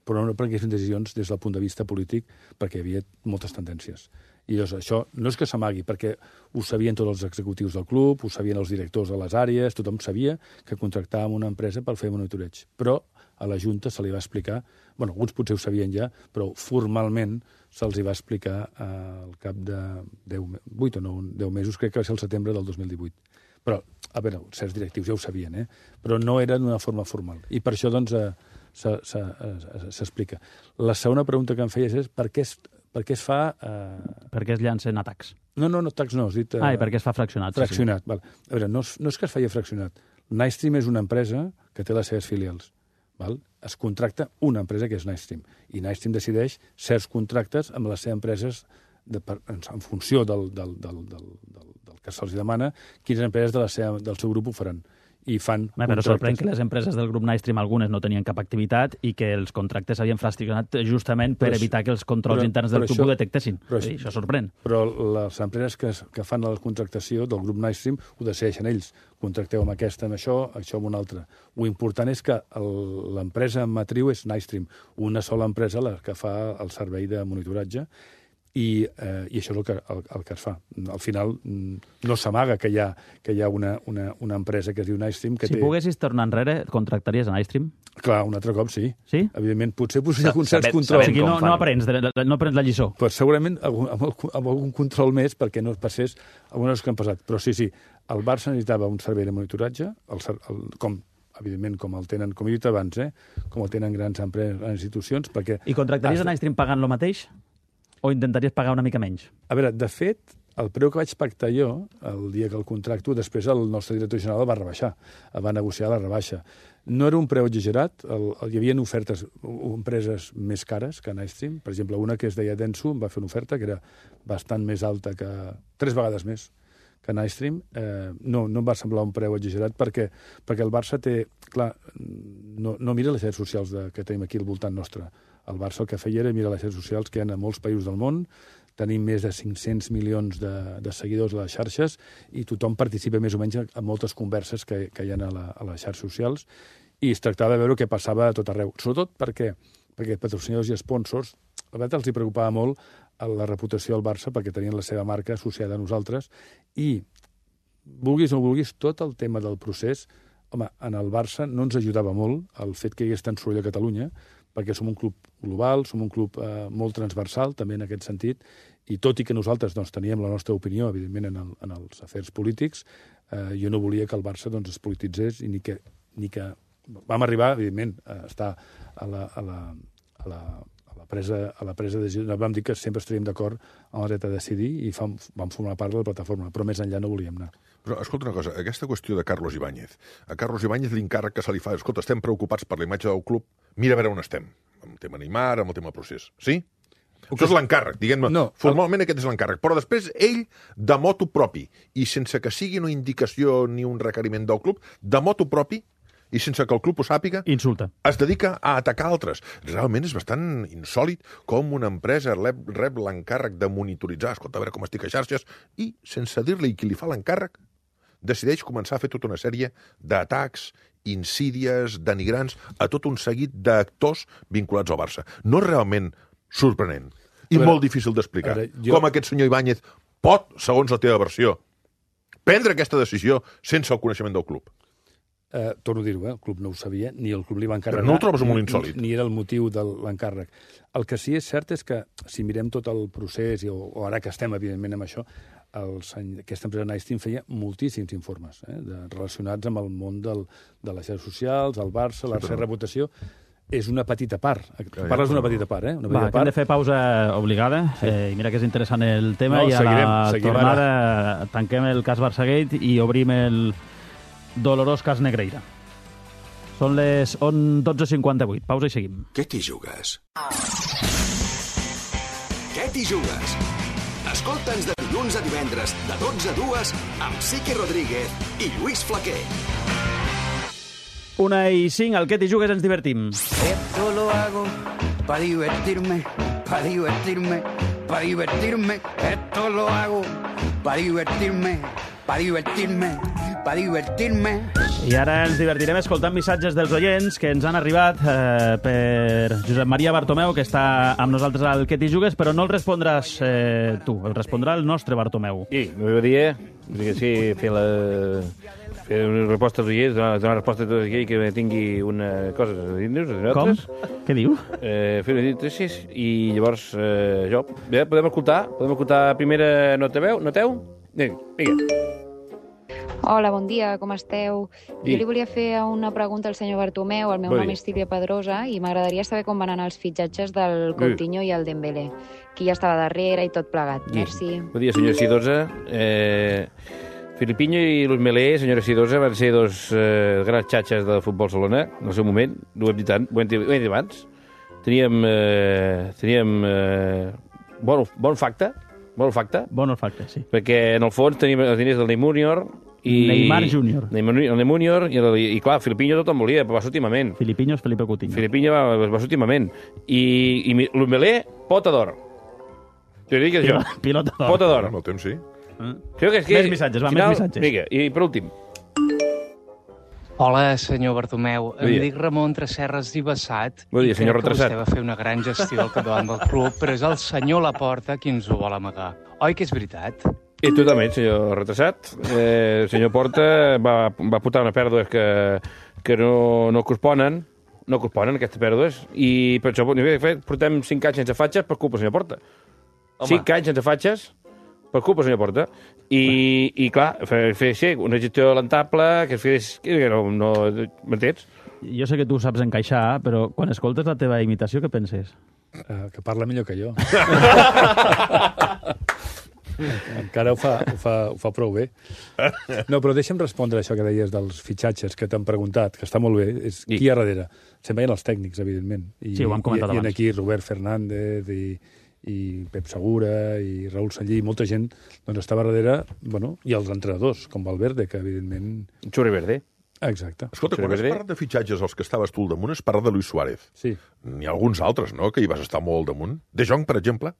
però no prenguessin decisions des del punt de vista polític, perquè hi havia moltes tendències. I llavors això no és que s'amagui, perquè ho sabien tots els executius del club, ho sabien els directors de les àrees, tothom sabia que contractàvem una empresa per fer monitoreig. Però a la Junta se li va explicar, bueno, alguns potser ho sabien ja, però formalment se'ls va explicar al cap de 8 o 10 mesos, crec que va ser el setembre del 2018. Però A veure, certs directius ja ho sabien, però no era d'una forma formal. I per això, doncs, s'explica. La segona pregunta que em feies és per què es fa... Per què es llancen atacs? No, atacs no, has dit... I per què es fa fraccionat? Fraccionat, val. A veure, no és que es faci fraccionat. Nightstream és una empresa que té les seves filials. Val? Es contracta una empresa que és Nightstream. I Nightstream decideix certs contractes amb les seves empreses en funció del que se'ls demana, quines empreses del seu grup ho faran. I fan però sorprèn que les empreses del grup Nightstream algunes no tenien cap activitat i que els contractes s'havien fraccionat justament per evitar que els controls interns del club ho detectessin. Això sorprèn. Però les empreses que fan la contractació del grup Nightstream ho decideixen ells. Contracteu amb aquesta, amb això amb una altra. Ho important és que l'empresa matriu és Nightstream, una sola empresa la que fa el servei de monitoratge, i això és el que es fa. Al final no s'amaga que hi ha una empresa que es diu Nightstream que té... Si poguessis tornar enrere, contractaries a Nightstream? Clar, un altre cop, sí. Sí? Evidentment, potser hi ha certs controls. O sigui, no aprens la lliçó. Però segurament amb algun control més perquè no passés algunes coses que han passat. Però sí, el Barça necessitava un servei de monitoratge, evidentment, com el tenen, com he dit abans, com el tenen grans empreses, grans institucions, perquè... I contractaries a Nightstream pagant lo mateix? O intentaries pagar una mica menys? A veure, de fet, el preu que vaig pactar jo, el dia que el contracto, després el nostre director general el va rebaixar, el va negociar la rebaixa. No era un preu exagerat, hi havia ofertes, empreses més cares que Nightstream. Per exemple, una que es deia Denso em va fer una oferta que era bastant més alta, 3 vegades més que Nightstream. No em va semblar un preu exagerat perquè el Barça té... Clar, no mira les xarxes socials que tenim aquí al voltant nostre. El Barça el que feia era mirar les xarxes socials que hi ha a molts països del món, tenim més de 500 milions de seguidors a les xarxes i tothom participa més o menys en moltes converses que hi ha a les xarxes socials i es tractava de veure què passava a tot arreu. Sobretot perquè patrocinadors i sponsors, la veritat els hi preocupava molt la reputació del Barça perquè tenien la seva marca associada a nosaltres i, vulguis o no vulguis, tot el tema del procés, home, en el Barça no ens ajudava molt el fet que hi hagués tant soroll a Catalunya, perquè som un club global, som un club molt transversal, també en aquest sentit, i tot i que nosaltres teníem la nostra opinió, evidentment, en els afers polítics, jo no volia que el Barça es polititzés i ni que vam arribar, evidentment, a estar a la presa de decisió. Vam dir que sempre estaríem d'acord amb el dret a decidir i vam formar part de la plataforma, però més enllà no volíem anar. Però, escolta una cosa, aquesta qüestió de Carlos Ibáñez. A Carlos Ibáñez l'encàrrec que se li fa, escolta, estem preocupats per la imatge del club, mira a veure on estem, amb el tema Neymar, amb el tema procés. Sí? Això és l'encàrrec, diguem-ne. No, formalment aquest és l'encàrrec. Però després ell, de motu propi, i sense que sigui una indicació ni un requeriment del club, de motu propi, i sense que el club ho sàpiga, insulta. Es dedica a atacar altres. Realment és bastant insòlid com una empresa rep l'encàrrec de monitoritzar, escolta, a veure com estic a xarxes, i, sense dir-li qui li fa l'encàrrec, decideix començar a fer tota una sèrie d'atacs, insídies, denigrants, a tot un seguit d'actors vinculats al Barça. No és realment sorprenent i molt difícil d'explicar com aquest senyor Ibáñez pot, segons la teva versió, prendre aquesta decisió sense el coneixement del club. Torno a dir-ho, el club no ho sabia, ni el club li va encarregar. Però no ho trobes molt insòlid? Ni era el motiu de l'encàrrec. El que sí és cert és que, si mirem tot el procés, o ara que estem, evidentment, amb això, aquesta empresa Nightstream feia moltíssims informes relacionats amb el món de les xarxes socials, el Barça, la seva reputació. És una petita part. Parles d'una petita part, Va, que hem de fer pausa obligada. I mira que és interessant el tema. I a la tornada tanquem el cas Barçagate i obrim el dolorós cas Negreira. Són les 12:58. Pausa i seguim. Què t'hi jugues? Què t'hi jugues? Escolta'ns de dilluns a divendres, de 12 a 2, amb Sique Rodríguez i Lluís Flaquer. 1:05, al Què t'hi jugues ens divertim. Esto lo hago para divertirme, para divertirme, para divertirme. Esto lo hago para divertirme, para divertirme, para divertirme. I ara ens divertirem escoltant missatges dels oients que ens han arribat per Josep Maria Bartomeu, que està amb nosaltres al Què t'hi jugues, però no el respondràs tu, el respondrà el nostre Bartomeu. Sí, m'agradaria fer una resposta als oients, donar resposta a tot aquell que tingui una cosa a dir-nos. Com? Què diu? Fer una dit i llavors jo... Bé, podem escoltar primera noteu? Vinga. Hola, bon dia, com esteu? Sí. Jo li volia fer una pregunta al senyor Bartomeu. El meu Bon nom dia. és Sílvia Pedrosa i m'agradaria saber com van anar els fitxatges del Coutinho i el Dembélé. Qui ja estava darrere i tot plegat. Merci. Bon dia, senyora Sidosa. Filipinho i Luis Melé, senyora Sidosa, van ser dos grans xatxes de futbol Salona, en el seu moment. Ho hem dit tant, ho hem dit abans. Teníem bon facte, Bon olfacte, sí. perquè en el fons teníem els diners del Neymar Júnior i... Neymar Júnior. El Neymar Júnior i clar, Filipinho tothom volia, però va ser últimament. Filipinho és Felipe Coutinho. Filipinho va ser últimament. I Luis Melé, pota d'or. Jo dic això. Pilota d'or. Pota d'or. Amb el temps, sí. Creo que és Més missatges, va, més missatges. Vinga, i per últim. Hola, senyor Bartomeu. Bon dia. Em dic Ramon Tresserres i Bassat. Bon dia, i senyor crec que Retrasat. vostè va fer una gran gestió al capdavant del club, però és el senyor Laporta qui ens ho vol amagar. Oi que és veritat? I totalment, senyor Retrasat. Senyor Porta va portar una pèrdua que no corresponen, aquestes pèrdues, i per això portem 5 anys sense fatxes per culpa del senyor Porta. 5 anys sense fatxes per culpa del senyor Porta. I clar, fer així, una gestió lamentable, que es fes... Que no m'entens? Jo sé que tu saps encaixar, però quan escoltes la teva imitació, què penses? Que parla millor que jo. Encara ho fa prou bé. No, però deixa'm respondre això que deies dels fitxatges que t'han preguntat, que està molt bé. És qui hi ha darrere? Se'n veien els tècnics, evidentment. Sí, ho hem comentat abans. I aquí Robert Fernández i Pep Segura i Raül Sallí, molta gent doncs estava darrere, bueno, i els entrenadors, com Valverde, que evidentment... Xurri Verde. Exacte. Escolta, quan has parlat de fitxatges als que estaves tu al damunt, has parlat de Luis Suárez. Sí. N'hi ha alguns altres, no?, que hi vas estar molt al damunt. De Jong, per exemple.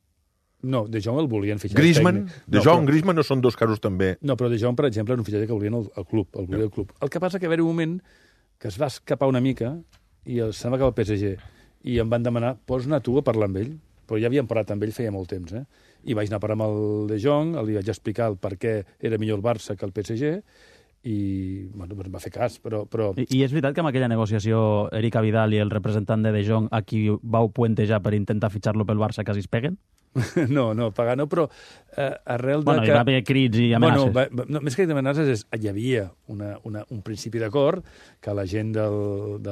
No, De Jong el volien fitxar. Griezmann. De Jong, però... Griezmann no són dos casos també... No, però De Jong, per exemple, era un fitxatge que volien el club, el volia el club. El que passa que va haver un moment que es va escapar una mica i se'n va acabar el PSG i em van demanar, pots anar tu a parlar amb ell? Però ja havíem parlat amb ell feia molt temps, I vaig anar a parlar amb el De Jong, li vaig explicar el per què era millor el Barça que el PSG, i bueno, em va fer cas, però... I és veritat que amb aquella negociació Eric Abidal i el representant de Jong a qui vau puentejar per intentar fitxar-lo pel Barça quasi es peguen? No, pagar no, però arrel de Bueno, hi va haver crits i amenaces. No, més que amenaces, hi havia un principi d'acord que la gent del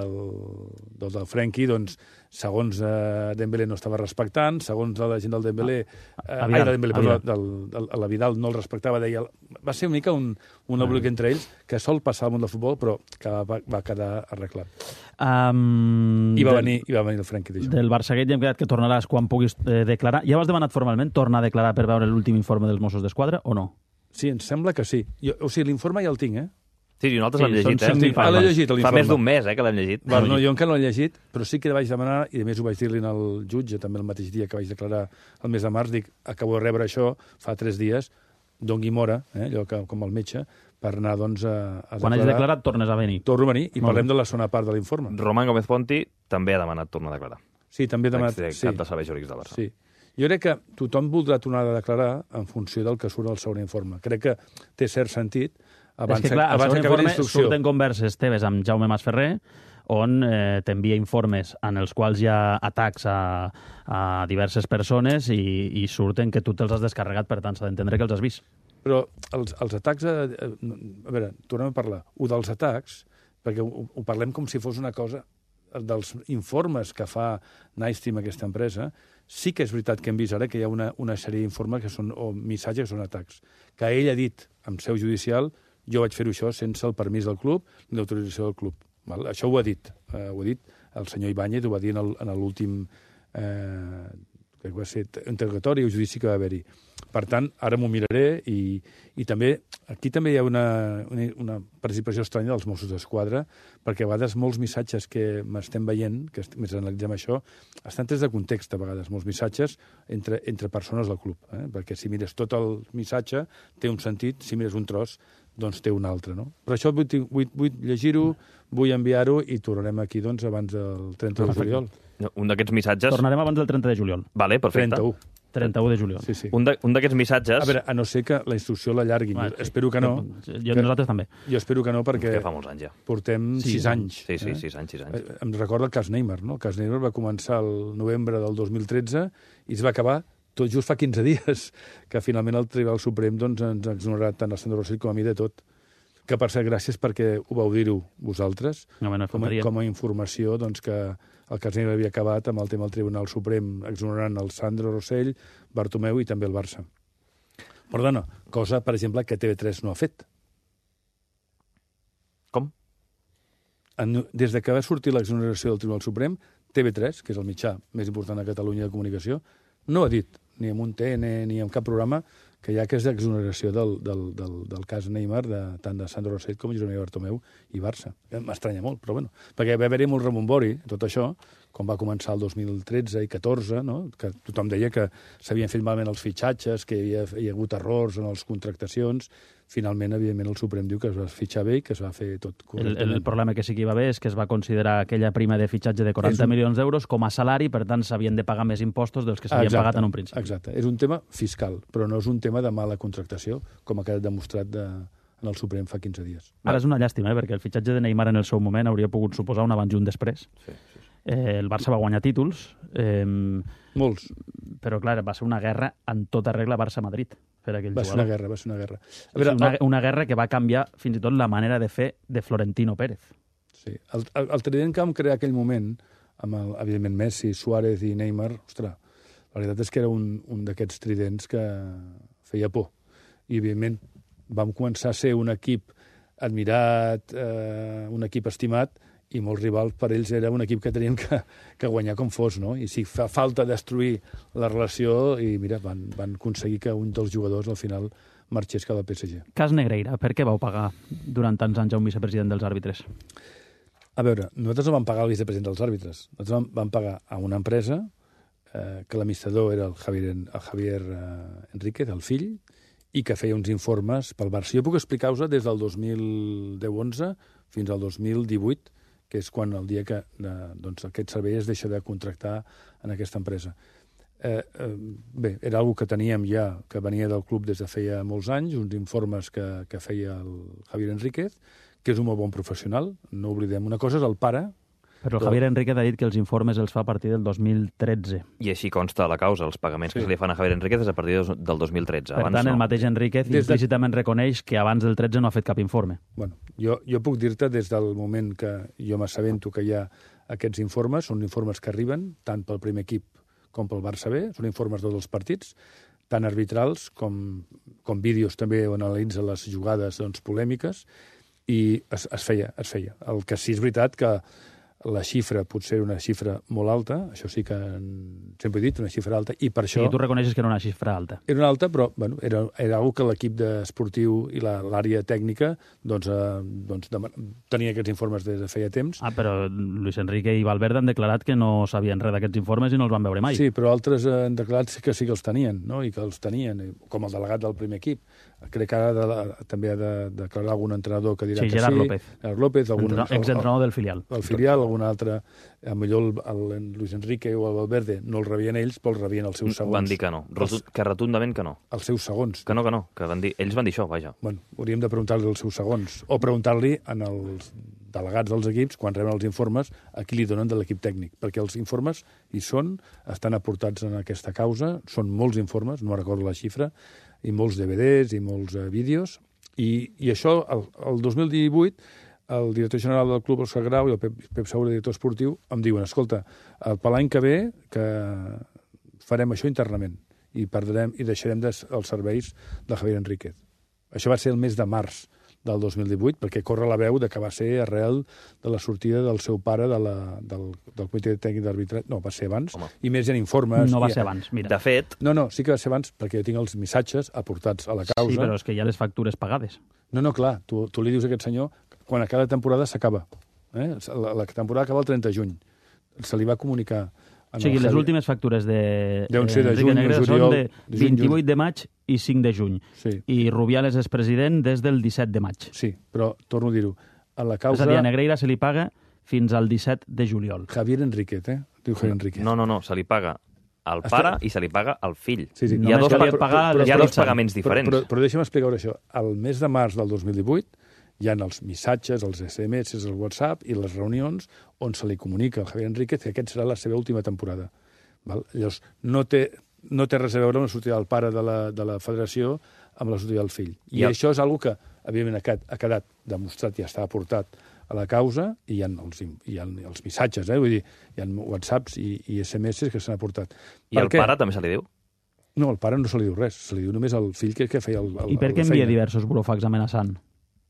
Frenkie, doncs, segons Dembélé no estava respectant, segons la gent del Dembélé... La Vidal no el respectava, deia... Va ser una mica un embolic entre ells que sol passar al món del futbol, però que va quedar arreglat. I va venir el Frenkie de Jong. Del Barçaguet ja hem quedat que tornaràs quan puguis declarar. Ja ho has demanat formalment, tornar a declarar per veure l'últim informe dels Mossos d'Esquadra, o no? Sí, em sembla que sí. O sigui, l'informe ja el tinc, Sí, i nosaltres l'hem llegit, l'he llegit, l'informe. Fa més d'un mes, que l'hem llegit. Bueno, no, jo encara no l'he llegit, però sí que vaig demanar, i a més ho vaig dir-li al jutge, també el mateix dia que vaig declarar el mes de març, dic, acabo de rebre això fa 3 dies, dongui mora, allò com el metge, per anar, doncs, a declarar. Quan hagis declarat, tornes a venir. Torno a venir i parlem de la segona part de l'informe. Román Gómez Ponti també ha demanat tornar a declarar. Sí, també ha demanat... Cap de serveis jurídics del Barça. Sí. Jo crec que tothom voldrà tornar a declarar en funció del que surt al segon informe. Crec que té cert sentit. És que, clar, al segon informe surten converses teves amb Jaume Masferrer, on t'envia informes en els quals hi ha atacs a diverses persones i surten que tu te'ls has descarregat, per tant, s'ha d'entendre que els has vist. Però els atacs... A veure, tornem a parlar. Dels atacs, perquè ho parlem com si fos una cosa dels informes que fa Nystream, aquesta empresa, sí que és veritat que hem vist ara que hi ha una sèrie d'informes que són, o missatges que són atacs. Que ell ha dit, en seu judicial, jo vaig fer-ho això sense el permís del club ni l'autorització del club. Val? Això ho ha dit el senyor Ibáñez, ho va dir en l'últim que va ser interrogatori o judici que va haver-hi. Per tant, ara m'ho miraré i també, aquí també hi ha una participació estranya dels Mossos d'Esquadra, perquè a vegades molts missatges que m'estem veient, que més analitzem això, estan trets de context, a vegades, molts missatges entre persones del club. Perquè si mires tot el missatge, té un sentit, si mires un tros, doncs té un altre, no? Per això vull llegir-ho, vull enviar-ho i tornarem aquí, doncs, abans del 30 de juliol. Un d'aquests missatges... Tornarem abans del 30 de juliol. Vale, perfecte. 31 de juliol. Sí. Un d'aquests missatges... A veure, a no ser que la instrucció l'allarguin. Espero que no. Nosaltres també. Jo espero que no, perquè... Que fa molts anys, ja. Portem 6 anys. Sí, 6 anys. Em recorda el cas Neymar, no? El cas Neymar va començar el novembre del 2013 i es va acabar tot just fa 15 dies, que finalment el Tribunal Suprem doncs, ens ha exonerat tant a Sandro Rosell com a mi de tot. Que, per cert, gràcies perquè ho vau dir-ho vosaltres, faltaria. com a informació, doncs, que el cas Neymar havia acabat amb el tema del Tribunal Suprem exonerant el Sandro Rosell, Bartomeu i també el Barça. Perdona, cosa, per exemple, que TV3 no ha fet. Com? Des de que va sortir l'exoneració del Tribunal Suprem, TV3, que és el mitjà més important de Catalunya de comunicació, no ha dit, ni en un TN ni en cap programa, que hi ha aquesta exoneració del cas Neymar, tant de Sandro Rosell com Josep Maria Bartomeu i Barça. M'estranya molt, però bueno. Perquè va haver-hi molt rebombori, tot això, quan va començar el 2013 i 14, no? Que tothom deia que s'havien fet malament els fitxatges, que hi havia hagut errors en les contractacions. Finalment, evidentment, el Suprem diu que es va fitxar bé i que es va fer tot correctament. El problema que sí que hi va haver és que es va considerar aquella prima de fitxatge de 40 milions d'euros com a salari, per tant, s'havien de pagar més impostos dels que s'havien pagat en un principi. Exacte. És un tema fiscal, però no és un tema de mala contractació, com ha quedat demostrat en el Suprem fa 15 dies. Ara és una llàstima, perquè el fitxatge de Neymar en el seu moment hauria pogut suposar un abans i un després. Sí. El Barça va guanyar títols. Molts. Però, clar, va ser una guerra en tota regla Barça-Madrid per aquell jugador. Va ser una guerra. A veure, una guerra que va canviar fins i tot la manera de fer de Florentino Pérez. Sí. El trident que vam crear aquell moment, amb evidentment Messi, Suárez i Neymar, ostres, la veritat és que era un d'aquests tridents que feia por. I, evidentment, vam començar a ser un equip admirat, un equip estimat, i molts rivals per ells era un equip que tenien que guanyar com fos, no? I si fa falta destruir la relació, i mira, van aconseguir que un dels jugadors al final marxés cap al PSG. Cas Negreira, per què vau pagar durant tants anys a un vicepresident dels àrbitres? A veure, nosaltres no vam pagar al vicepresident dels àrbitres. Nosaltres vam pagar a una empresa que l'administrador era el Javier Enríquez, el fill, i que feia uns informes pel Barça. Jo puc explicar-vos des del 2010-11 fins al 2018, que és quan el dia que aquest servei es deixa de contractar en aquesta empresa. Bé, era una que teníem ja, que venia del club des de feia molts anys, uns informes que feia el Javier Enríquez, que és un molt bon professional, no oblidem. Una cosa és el pare... Però el Javier Enríquez ha dit que els informes els fa a partir del 2013. I així consta a la causa, els pagaments que se li fan a Javier Enríquez és a partir del 2013. Per tant, el mateix Enríquez implícitament reconeix que abans del 13 no ha fet cap informe. Bueno, jo puc dir-te des del moment que jo m'assabento que hi ha aquests informes, són informes que arriben tant pel primer equip com pel Barça B, són informes de tots els partits, tant arbitrals com vídeos també on analitza les jugades polèmiques, i es feia. El que sí és veritat que la xifra potser era una xifra molt alta, això sí que sempre he dit, una xifra alta, i per això... Sí, tu reconeixes que era una xifra alta. Era una alta, però bueno, era una que l'equip esportiu i l'àrea tècnica tenia aquests informes des de feia temps. Però Luis Enrique i Valverde han declarat que no sabien res d'aquests informes i no els van veure mai. Sí, però altres han declarat que sí que els tenien, no? I que els tenien, com el delegat del primer equip. Crec que ara també ha de declarar algun entrenador que dirà que sí. Gerard López. Gerard López. Exentrenador del filial. El filial, algun altre, millor el Luis Enrique o el Valverde no el rebien ells, però el rebien els seus segons. Van dir que no, que rotundament que no. Els seus segons. Que no, que ells van dir això, vaja. Bueno, hauríem de preguntar-li els seus segons, o preguntar-li als delegats dels equips, quan reben els informes, a qui li donen de l'equip tècnic, perquè els informes estan aportats en aquesta causa, són molts informes, no recordo la xifra, i molts DVDs i molts vídeos, i això, el 2018, el director general del club, Òscar Grau, i el Pep Saura, director esportiu, em diuen, escolta, per l'any que ve que farem això internament i deixarem els serveis de Javier Enríquez. Això va ser el mes de març del 2018, perquè corre la veu de que va ser arrel de la sortida del seu pare del comitè tècnic d'arbitratge. No, va ser abans. Home. I més hi ha informes. No va ser abans, mira. De fet... No, sí que va ser abans, perquè jo tinc els missatges aportats a la causa. Sí, però és que hi ha les factures pagades. No, clar, tu li dius a aquest senyor quan a cada temporada s'acaba. La temporada acaba el 30 de juny. Se li va comunicar... O sigui, les últimes factures de juny, Negreira són de 28 de maig i 5 de juny. Sí. I Rubiales és president des del 17 de maig. Sí, però torno a dir-ho. A la causa... És a dir, a Negreira se li paga fins al 17 de juliol. Javier Enríquez, Diu Javier Enríquez. No, se li paga al pare i se li paga al fill. Sí. Hi ha dos pagaments diferents. Però deixa'm explicar-ho això. Al mes de març del 2018 hi ha els missatges, els SMS, el WhatsApp i les reunions on se li comunica al Javier Enríquez que aquest serà la seva última temporada. Val? Llavors, no té res a veure amb la sortida del pare de la federació amb la sortida del fill. I això és una que evidentment ha quedat demostrat i està aportat a la causa, i hi ha els missatges, vull dir, hi ha WhatsApps i SMS que s'han aportat. I al pare també se li diu? No, al pare no se li diu res, se li diu només al fill que feia I per què envia diversos burofax amenaçant?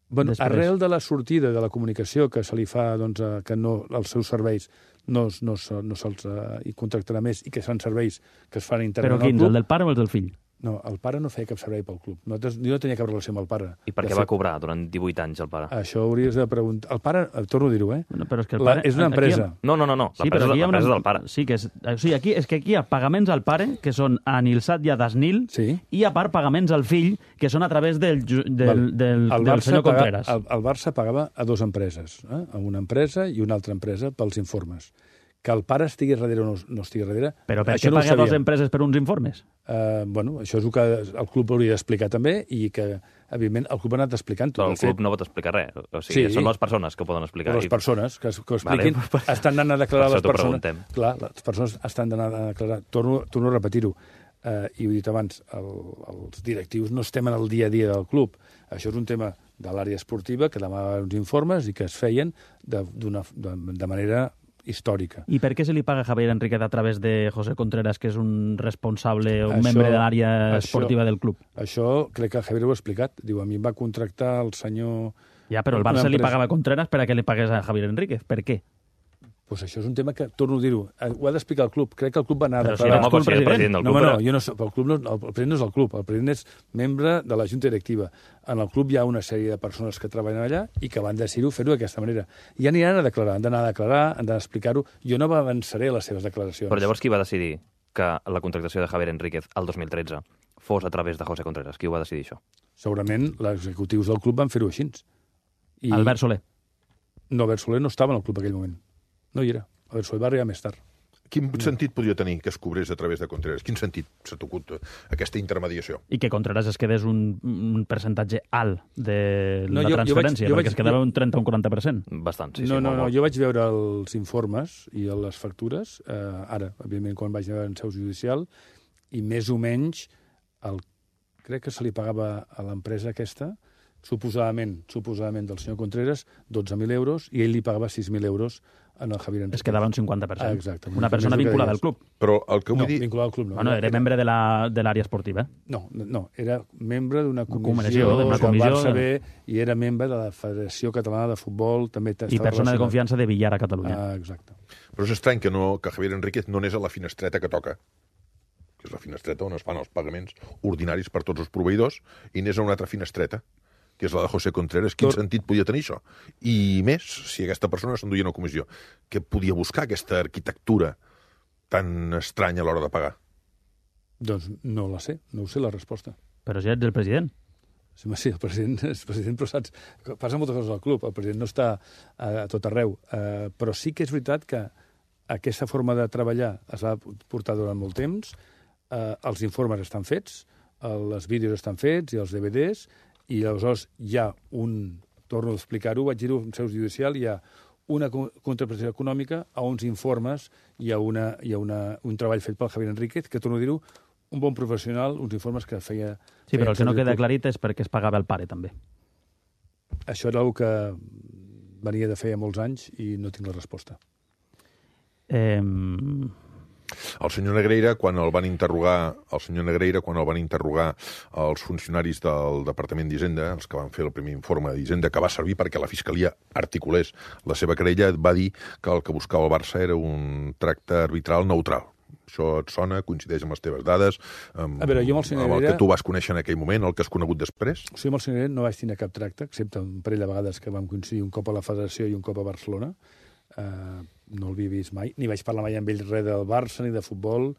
Bueno, arrel de la sortida de la comunicació que se li fa, doncs, que no, els seus serveis no se'ls contractarà més i que són serveis que es fan internament al club. Però quins, el del pare o el del fill? No, el pare no feia cap servei pel club. Jo no tenia cap relació amb el pare. I per què va cobrar durant 18 anys el pare? Això hauries de preguntar. El pare, torno a dir-ho, Bueno, però és que el pare... és una empresa. No. L'empresa del pare. Sí, aquí hi ha pagaments al pare, que són a Nilsat i a Dasnil, i a part pagaments al fill, que són a través del senyor Contreras. El Barça pagava a dues empreses, a una empresa i una altra empresa pels informes. Que el pare estigui darrere o no estigui darrere... Però per què paga dues empreses per uns informes? Bueno, això és el que el club hauria d'explicar també i que, evidentment, el club ha anat explicant. Però el club no pot explicar res. O sigui, són les persones que ho poden explicar. Les persones que ho expliquin estan anant a declarar les persones. Clar, les persones estan anant a declarar. Torno a repetir-ho. I ho he dit abans, els directius no estem en el dia a dia del club. Això és un tema de l'àrea esportiva que demanaven uns informes i que es feien de manera històrica. I per què se li paga a Javier Enríquez a través de José Contreras, que és un responsable o un membre de l'àrea esportiva del club? Això crec que el Javier ho ha explicat. Diu, a mi em va contractar el senyor... Ja, però el Barça li pagava a Contreras per a què li pagués a Javier Enríquez. Per què? Pues això és un tema que, torno a dir-ho, ho ha d'explicar el club. Crec que el club va anar a declarar... Però si el president del club... No, jo no sé, el president no és el club, el president és membre de la junta directiva. En el club hi ha una sèrie de persones que treballen allà i que van decidir fer-ho d'aquesta manera. I ja aniran a declarar, han d'anar a declarar, han d'explicar-ho. Jo no avançaré les seves declaracions. Però llavors qui va decidir que la contractació de Javier Enríquez el 2013 fos a través de José Contreras? Qui ho va decidir, això? Segurament els executius del club van fer-ho així. Albert Soler? No, Albert Soler no estava en el club en aquell moment. No hi era. Albert Soler va arribar més tard. Quin sentit podria tenir que es cobrés a través de Contreras? Quin sentit s'ha tocut aquesta intermediació? I que Contreras es quedés un percentatge alt de la transferència, perquè es quedava un 30 o un 40%. Bastant, sí. No, jo vaig veure els informes i les factures, ara, evidentment, quan vaig veure en seu judicial, i més o menys, crec que se li pagava a l'empresa aquesta, suposadament del senyor Contreras, 12.000 euros, i ell li pagava 6.000 euros en el Javier Enríquez. Es quedava un 50%. Exacte. Una persona vinculada al club. Però el que vull dir... No, vinculada al club no. Bueno, era membre de l'àrea esportiva. No, era membre d'una comissió del Barça B i era membre de la Federació Catalana de Futbol. També I persona de confiança de Villar a Catalunya. Exacte. Però és estrany que Javier Enríquez no anés a la finestreta que toca, que és la finestreta on es fan els pagaments ordinaris per tots els proveïdors, i anés a una altra finestreta, que és la de José Contreras. Quin sentit podia tenir això? I més, si aquesta persona s'enduia una comissió, què podia buscar aquesta arquitectura tan estranya a l'hora de pagar? Doncs no la sé, no ho sé la resposta. Però si ets el president. Sí, el president és president, però saps, passa moltes coses al club, el president no està a tot arreu, però sí que és veritat que aquesta forma de treballar es va portar durant molt temps, els informes estan fets, els vídeos estan fets i els DVDs, i aleshores hi ha torno a explicar-ho, vaig dir-ho en seu judicial, hi ha una contraprestació econòmica, a uns informes, hi ha un treball fet pel Javier Enríquez, que torno a dir-ho, un bon professional, uns informes que feia... Sí, però el que no queda aclarit és perquè es pagava el pare, també. Això era una que venia de feia molts anys i no tinc la resposta. El senyor Negreira, quan el van interrogar els funcionaris del Departament d'Hisenda, els que van fer el primer informe d'Hisenda, que va servir perquè la Fiscalia articulés la seva querella, va dir que el que buscava el Barça era un tracte arbitral neutral. Això et sona, coincideix amb les teves dades, amb el que tu vas conèixer en aquell moment, el que has conegut després? Sí, amb el senyor Negreira no vaig tenir cap tracte, excepte un parell de vegades que vam coincidir un cop a la Federació i un cop a Barcelona. No el havia vist mai, ni vaig parlar mai amb ell res del Barça ni de futbol.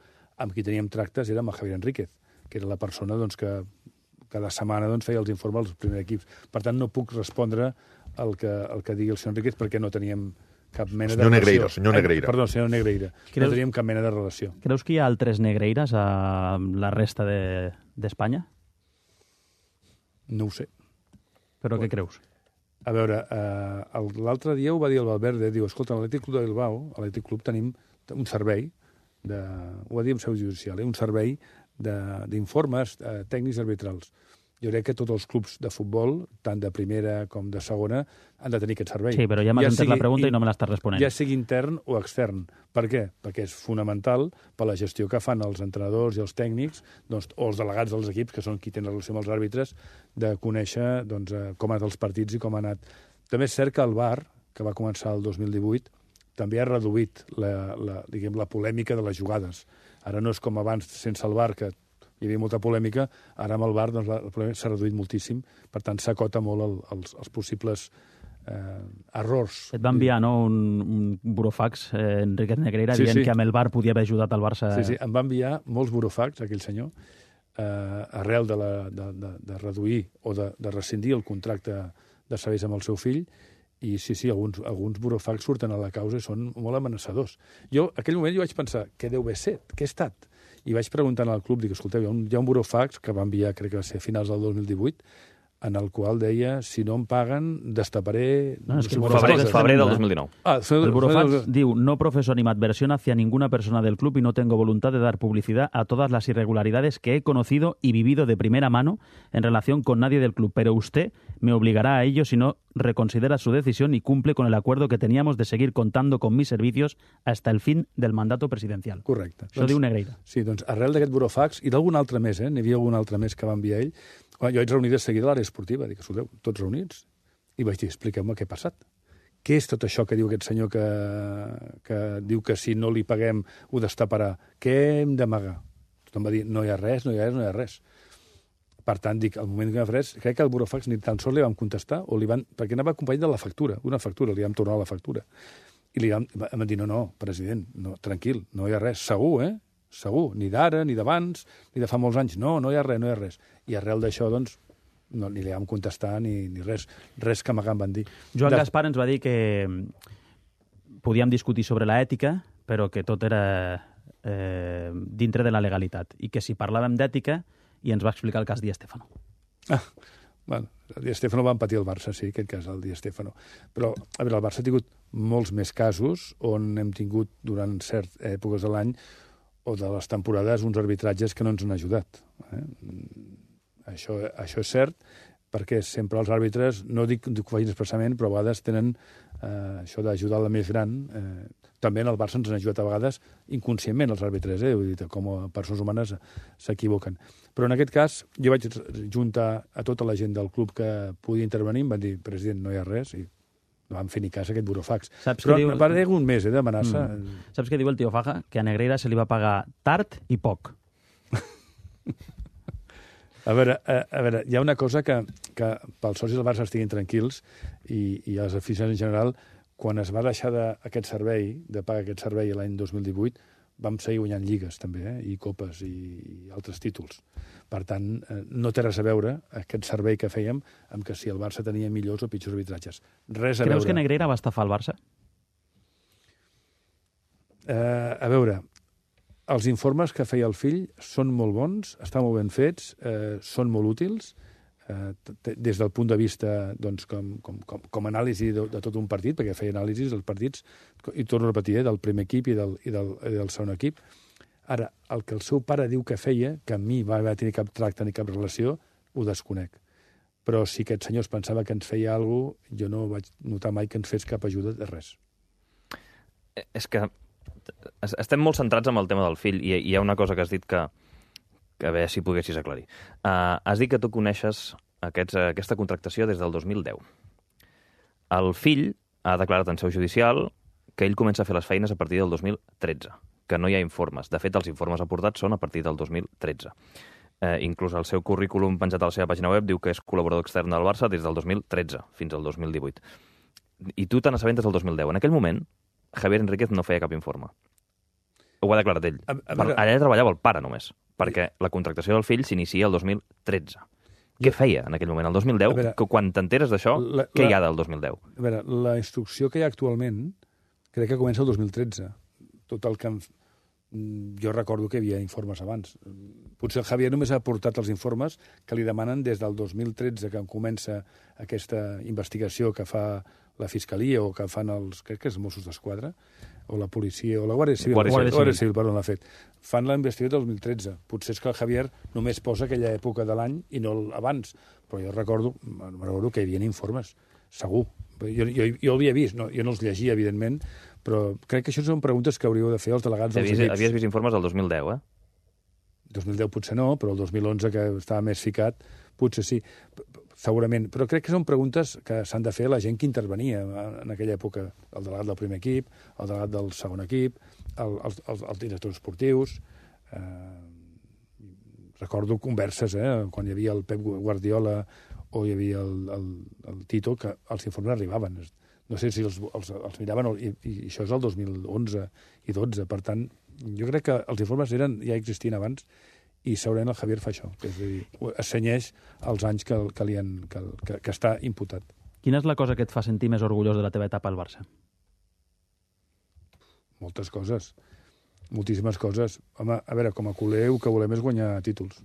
Amb qui teníem tractes era amb el Javier Enríquez, que era la persona que cada setmana feia els informes als primers equips. Per tant, no puc respondre el que digui el senyor Enríquez perquè no teníem cap mena de relació. Senyor Negreira. Perdó, senyor Negreira. No teníem cap mena de relació. Creus que hi ha altres Negreiras a la resta d'Espanya? No ho sé. Però què creus? A veure, l'altre dia ho va dir el Valverde, diu, escolta, a l'Atlètic Club de Bilbao, a l'Atlètic Club tenim un servei, ho va dir en seu judicial, un servei d'informes tècnics arbitrals. Jo crec que tots els clubs de futbol, tant de primera com de segona, han de tenir aquest servei. Sí, però ja m'has entès la pregunta i no me l'estàs responent. Ja sigui intern o extern. Per què? Perquè és fonamental per la gestió que fan els entrenadors i els tècnics, doncs, o els delegats dels equips, que són qui tenen relació amb els àrbitres, de conèixer doncs, com han anat els partits i com ha anat. També és cert que el VAR, que va començar el 2018, també ha reduït la polèmica de les jugades. Ara no és com abans, sense el VAR, que hi havia molta polèmica, ara amb el VAR doncs, la polèmica s'ha reduït moltíssim, per tant s'acota molt els possibles errors. Et va enviar un burofax, Enriquez Negreira, dient que amb el VAR podia haver ajudat el Barça. Sí, em va enviar molts burofax, aquell senyor, arrel de reduir o de rescindir el contracte de serveis amb el seu fill, i sí, alguns burofax surten a la causa i són molt amenaçadors. Jo, en aquell moment, vaig pensar, què deu haver set? Què ha estat? I vaig preguntant al club, dic, escolteu, hi ha un burofax que va enviar, crec que va ser a finals del 2018, en el qual deia, si no em paguen, destaparé... No, és que febrer del 2019. El burofax diu, no profeso animadversión hacia ninguna persona del club y no tengo voluntad de dar publicidad a todas las irregularidades que he conocido y vivido de primera mano en relación con nadie del club, pero usted me obligará a ello si no reconsidera su decisión y cumple con el acuerdo que teníamos de seguir contando con mis servicios hasta el fin del mandato presidencial. Correcte. Això diu Negreira. Sí, doncs arrel d'aquest burofax, i d'algun altre més, n'hi havia algun altre més que va enviar ell, jo vaig reunir de seguida a l'àrea esportiva, dic, escolteu, tots reunits, i vaig dir, expliqueu-me què ha passat. Què és tot això que diu aquest senyor que diu que si no li paguem ho destaparà? Què hem d'amagar? Tothom va dir, no hi ha res, no hi ha res, no hi ha res. Per tant, dic, al moment que m'ha res, crec que el burofax ni tan sols li vam contestar, perquè anava acompanyat de la factura, una factura, li vam tornar la factura. I em van dir, no, president, no, tranquil, no hi ha res, segur, segur, ni d'ara, ni d'abans, ni de fa molts anys, no hi ha res, no hi ha res. I arrel d'això, doncs, no, ni li vam contestar ni res que m'hagan van dir. Joan Gaspar ens va dir que podíem discutir sobre l'ètica, però que tot era dintre de la legalitat, i que si parlàvem d'ètica, i ens va explicar el cas Di Stéfano. Bueno, el Di Stéfano va empatir el Barça, sí, aquest cas, el Di Stéfano. Però, a veure, el Barça ha tingut molts més casos on hem tingut, durant certes èpoques de l'any, o de les temporades, uns arbitratges que no ens han ajudat. Això és cert, perquè sempre els àrbitres, no dic que ho facin expressament, però a vegades tenen això d'ajudar la més gran. També en el Barça ens han ajudat a vegades inconscientment els àrbitres, vull dir, com a persones humanes s'equivoquen. Però en aquest cas, jo vaig juntar a tota la gent del club que podia intervenir, em van dir, president, no hi ha res, i no vam fer ni cas a aquest burofax. Però a part d'un mes d'amenaça... Saps què diu el tio Faja? Que a Negreira se li va pagar tard i poc. A veure, hi ha una cosa que pels socis del Barça estiguin tranquils i els aficionats en general, quan es va deixar aquest servei, de pagar aquest servei l'any 2018, vam seguir guanyant lligues també, i copes i altres títols. Per tant, no té res a veure aquest servei que fèiem amb que si el Barça tenia millors o pitjors arbitratges. Res a veure. Creus que Negreira va estafar el Barça? A veure, els informes que feia el fill són molt bons, estan molt ben fets, són molt útils, des del punt de vista doncs, com a anàlisi de tot un partit, perquè feia anàlisis dels partits, i torno a repetir, del primer equip i del segon equip. Ara, el que el seu pare diu que feia, que amb mi va tenir cap tracte ni cap relació, ho desconec. Però si aquest senyor es pensava que ens feia alguna cosa, jo no vaig notar mai que ens fes cap ajuda de res. És que estem molt centrats en el tema del fill, i hi ha una cosa que has dit que a veure si poguessis aclarir. Has dit que tu coneixes aquesta contractació des del 2010. El fill ha declarat en seu judicial que ell comença a fer les feines a partir del 2013, que no hi ha informes. De fet, els informes aportats són a partir del 2013. Inclús el seu currículum penjat a la seva pàgina web diu que és col·laborador extern del Barça des del 2013 fins al 2018. I tu te n'assabentes del 2010. En aquell moment, Javier Enríquez no feia cap informe. Ho ha declarat ell. Allà treballava el pare només, perquè la contractació del fill s'inicia el 2013. Què feia en aquell moment, el 2010? Quan t'enteres d'això, què hi ha del 2010? A veure, la instrucció que hi ha actualment crec que comença el 2013. Tot el que... Jo recordo que hi havia informes abans. Potser el Javier només ha aportat els informes que li demanen des del 2013, que comença aquesta investigació que fa la Fiscalia o que fan crec que els Mossos d'Esquadra, o la policia, o la Guàrdia Civil, perdó, l'ha fet. Fan la investidura del 2013. Potser és que el Javier només posa aquella època de l'any i no abans. Però jo recordo que hi havia informes, segur. Jo ho havia vist, no, jo no els llegia, evidentment, però crec que això són preguntes que hauríeu de fer els delegats dels equips. Havies vist informes del 2010, 2010 potser no, però el 2011, que estava més ficat, potser sí, segurament. Però crec que són preguntes que s'han de fer a la gent que intervenia en aquella època. El delegat del primer equip, el delegat del segon equip, els directors esportius. Recordo converses, quan hi havia el Pep Guardiola o hi havia el Tito, que els informes arribaven. No sé si els miraven, i això és el 2011 i 12. Per tant, jo crec que els informes ja existien abans i segurament el Javier fa això, és a dir, assenyeix els anys que està imputat. Quina és la cosa que et fa sentir més orgullós de la teva etapa al Barça? Moltes coses, moltíssimes coses. Home, a veure, com a culer, el que volem és guanyar títols.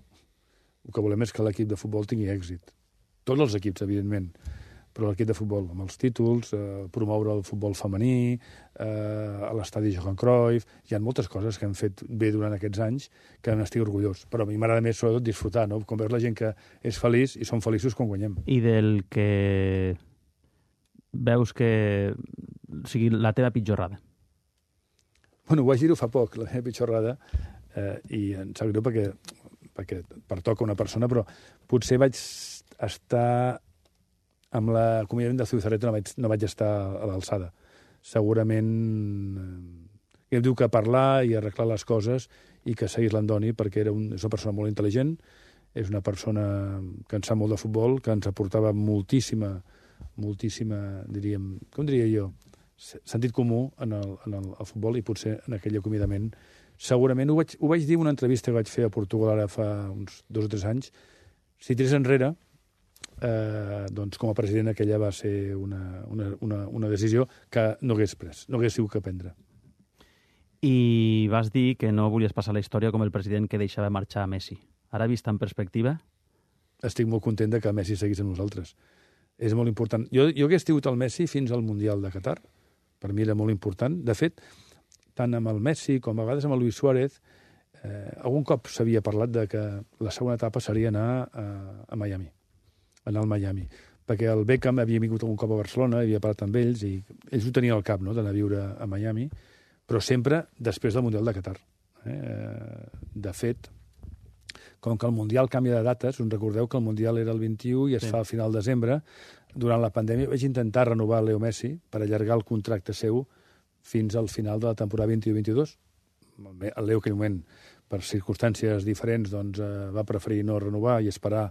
El que volem és que l'equip de futbol tingui èxit. Tots els equips, evidentment, però l'equip de futbol, amb els títols, promoure el futbol femení, a l'estadi Johan Cruyff. Hi ha moltes coses que hem fet bé durant aquests anys que n'estic orgullós. Però a mi m'agrada més, sobretot, disfrutar, no? Com veus la gent que és feliç i són feliços quan guanyem. I del que veus que sigui la teva pitjorrada? Bueno, ho vaig dir-ho fa poc, la meva pitjorrada, i em sap greu perquè pertoca una persona, però potser vaig estar amb l'acomiadament de Zubizarreta, no vaig estar a l'alçada. Segurament hem diu que parlar i arreglar les coses i que seguís l'Andoni, perquè és una persona molt intel·ligent, és una persona que en sap molt de futbol, que ens aportava moltíssima, diríem, com diria jo, sentit comú en el futbol, i potser en aquell acomiadament. Segurament ho vaig dir en una entrevista que vaig fer a Portugal ara fa uns 2 o 3 anys. Si tirés enrere, doncs com a president aquella va ser una decisió que no hagués pres, no hagués sigut que prendre. I vas dir que no volies passar la història com el president que deixava marxar a Messi. Ara, vist en perspectiva? Estic molt content que Messi seguís amb nosaltres. És molt important. Jo hagués tingut el Messi fins al Mundial de Qatar. Per mi era molt important. De fet, tant amb el Messi com a vegades amb el Luis Suárez, algun cop s'havia parlat de que la segona etapa seria anar a Miami, anar al Miami, perquè el Beckham havia vingut algun cop a Barcelona, havia parlat amb ells, i ells ho tenien al cap, no?, d'anar a viure a Miami, però sempre després del Mundial de Qatar. De fet, com que el Mundial canvia de dates, us recordeu que el Mundial era el 21 i es fa al final de desembre, durant la pandèmia vaig intentar renovar Leo Messi per allargar el contracte seu fins al final de la temporada 21-22. El Leo, en aquell moment, per circumstàncies diferents, doncs, va preferir no renovar i esperar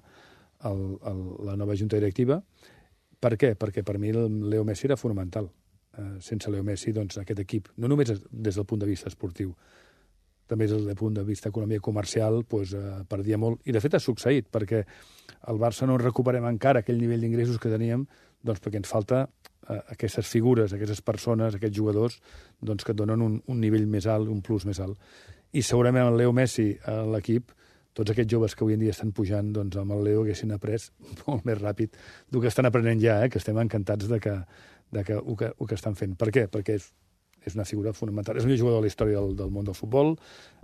la nova junta directiva. Per què? Perquè per mi el Leo Messi era fonamental. Sense Leo Messi, doncs, aquest equip, no només des del punt de vista esportiu, també des del punt de vista economia comercial, doncs, perdia molt. I, de fet, ha succeït, perquè al Barça no recuperem encara aquell nivell d'ingressos que teníem, doncs perquè ens falta aquestes figures, aquestes persones, aquests jugadors, doncs, que et donen un nivell més alt, un plus més alt. I segurament el Leo Messi a l'equip, tots aquests joves que avui en dia estan pujant, doncs amb el Leo haguessin après molt més ràpid del que estan aprenent ja, que estem encantats de que ho que estan fent. Per què? Perquè és una figura fonamental. És el millor jugador de la història del món del futbol,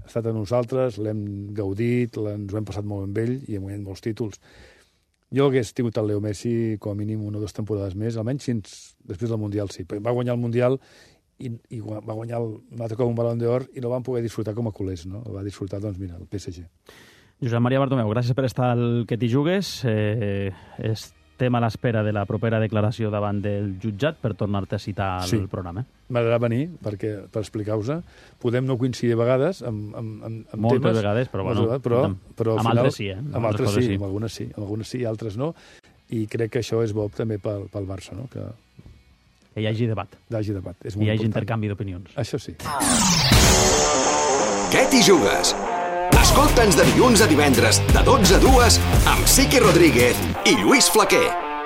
ha estat amb nosaltres, l'hem gaudit, ens ho hem passat molt amb ell i hem guanyat molts títols. Jo hagués tingut el Leo Messi com a mínim 1 o 2 temporades més, almenys fins després del Mundial, sí. Va guanyar el Mundial i va guanyar un altre cop un Balón d'Or i no van poder disfrutar com a culers, no? El va disfrutar, doncs mira, el PSG. Josep Maria Bartomeu, gràcies per estar al Que t'hi jugues. Estem a l'espera de la propera declaració davant del jutjat per tornar-te a citar al programa. M'agradarà venir per explicar-vos-ho. Podem no coincidir a vegades amb moltes temes. Vegades, però bueno. Però amb altres sí, Amb altres sí, amb algunes sí, altres no. I crec que això és bo també pel Barça, no? Que hi hagi debat. És molt important. Hi hagi intercanvi d'opinions. Això sí. Què t'hi jugues? Escolta'ns de dilluns a divendres, de 12 a 2, amb Sique Rodríguez i Lluís Flaquer.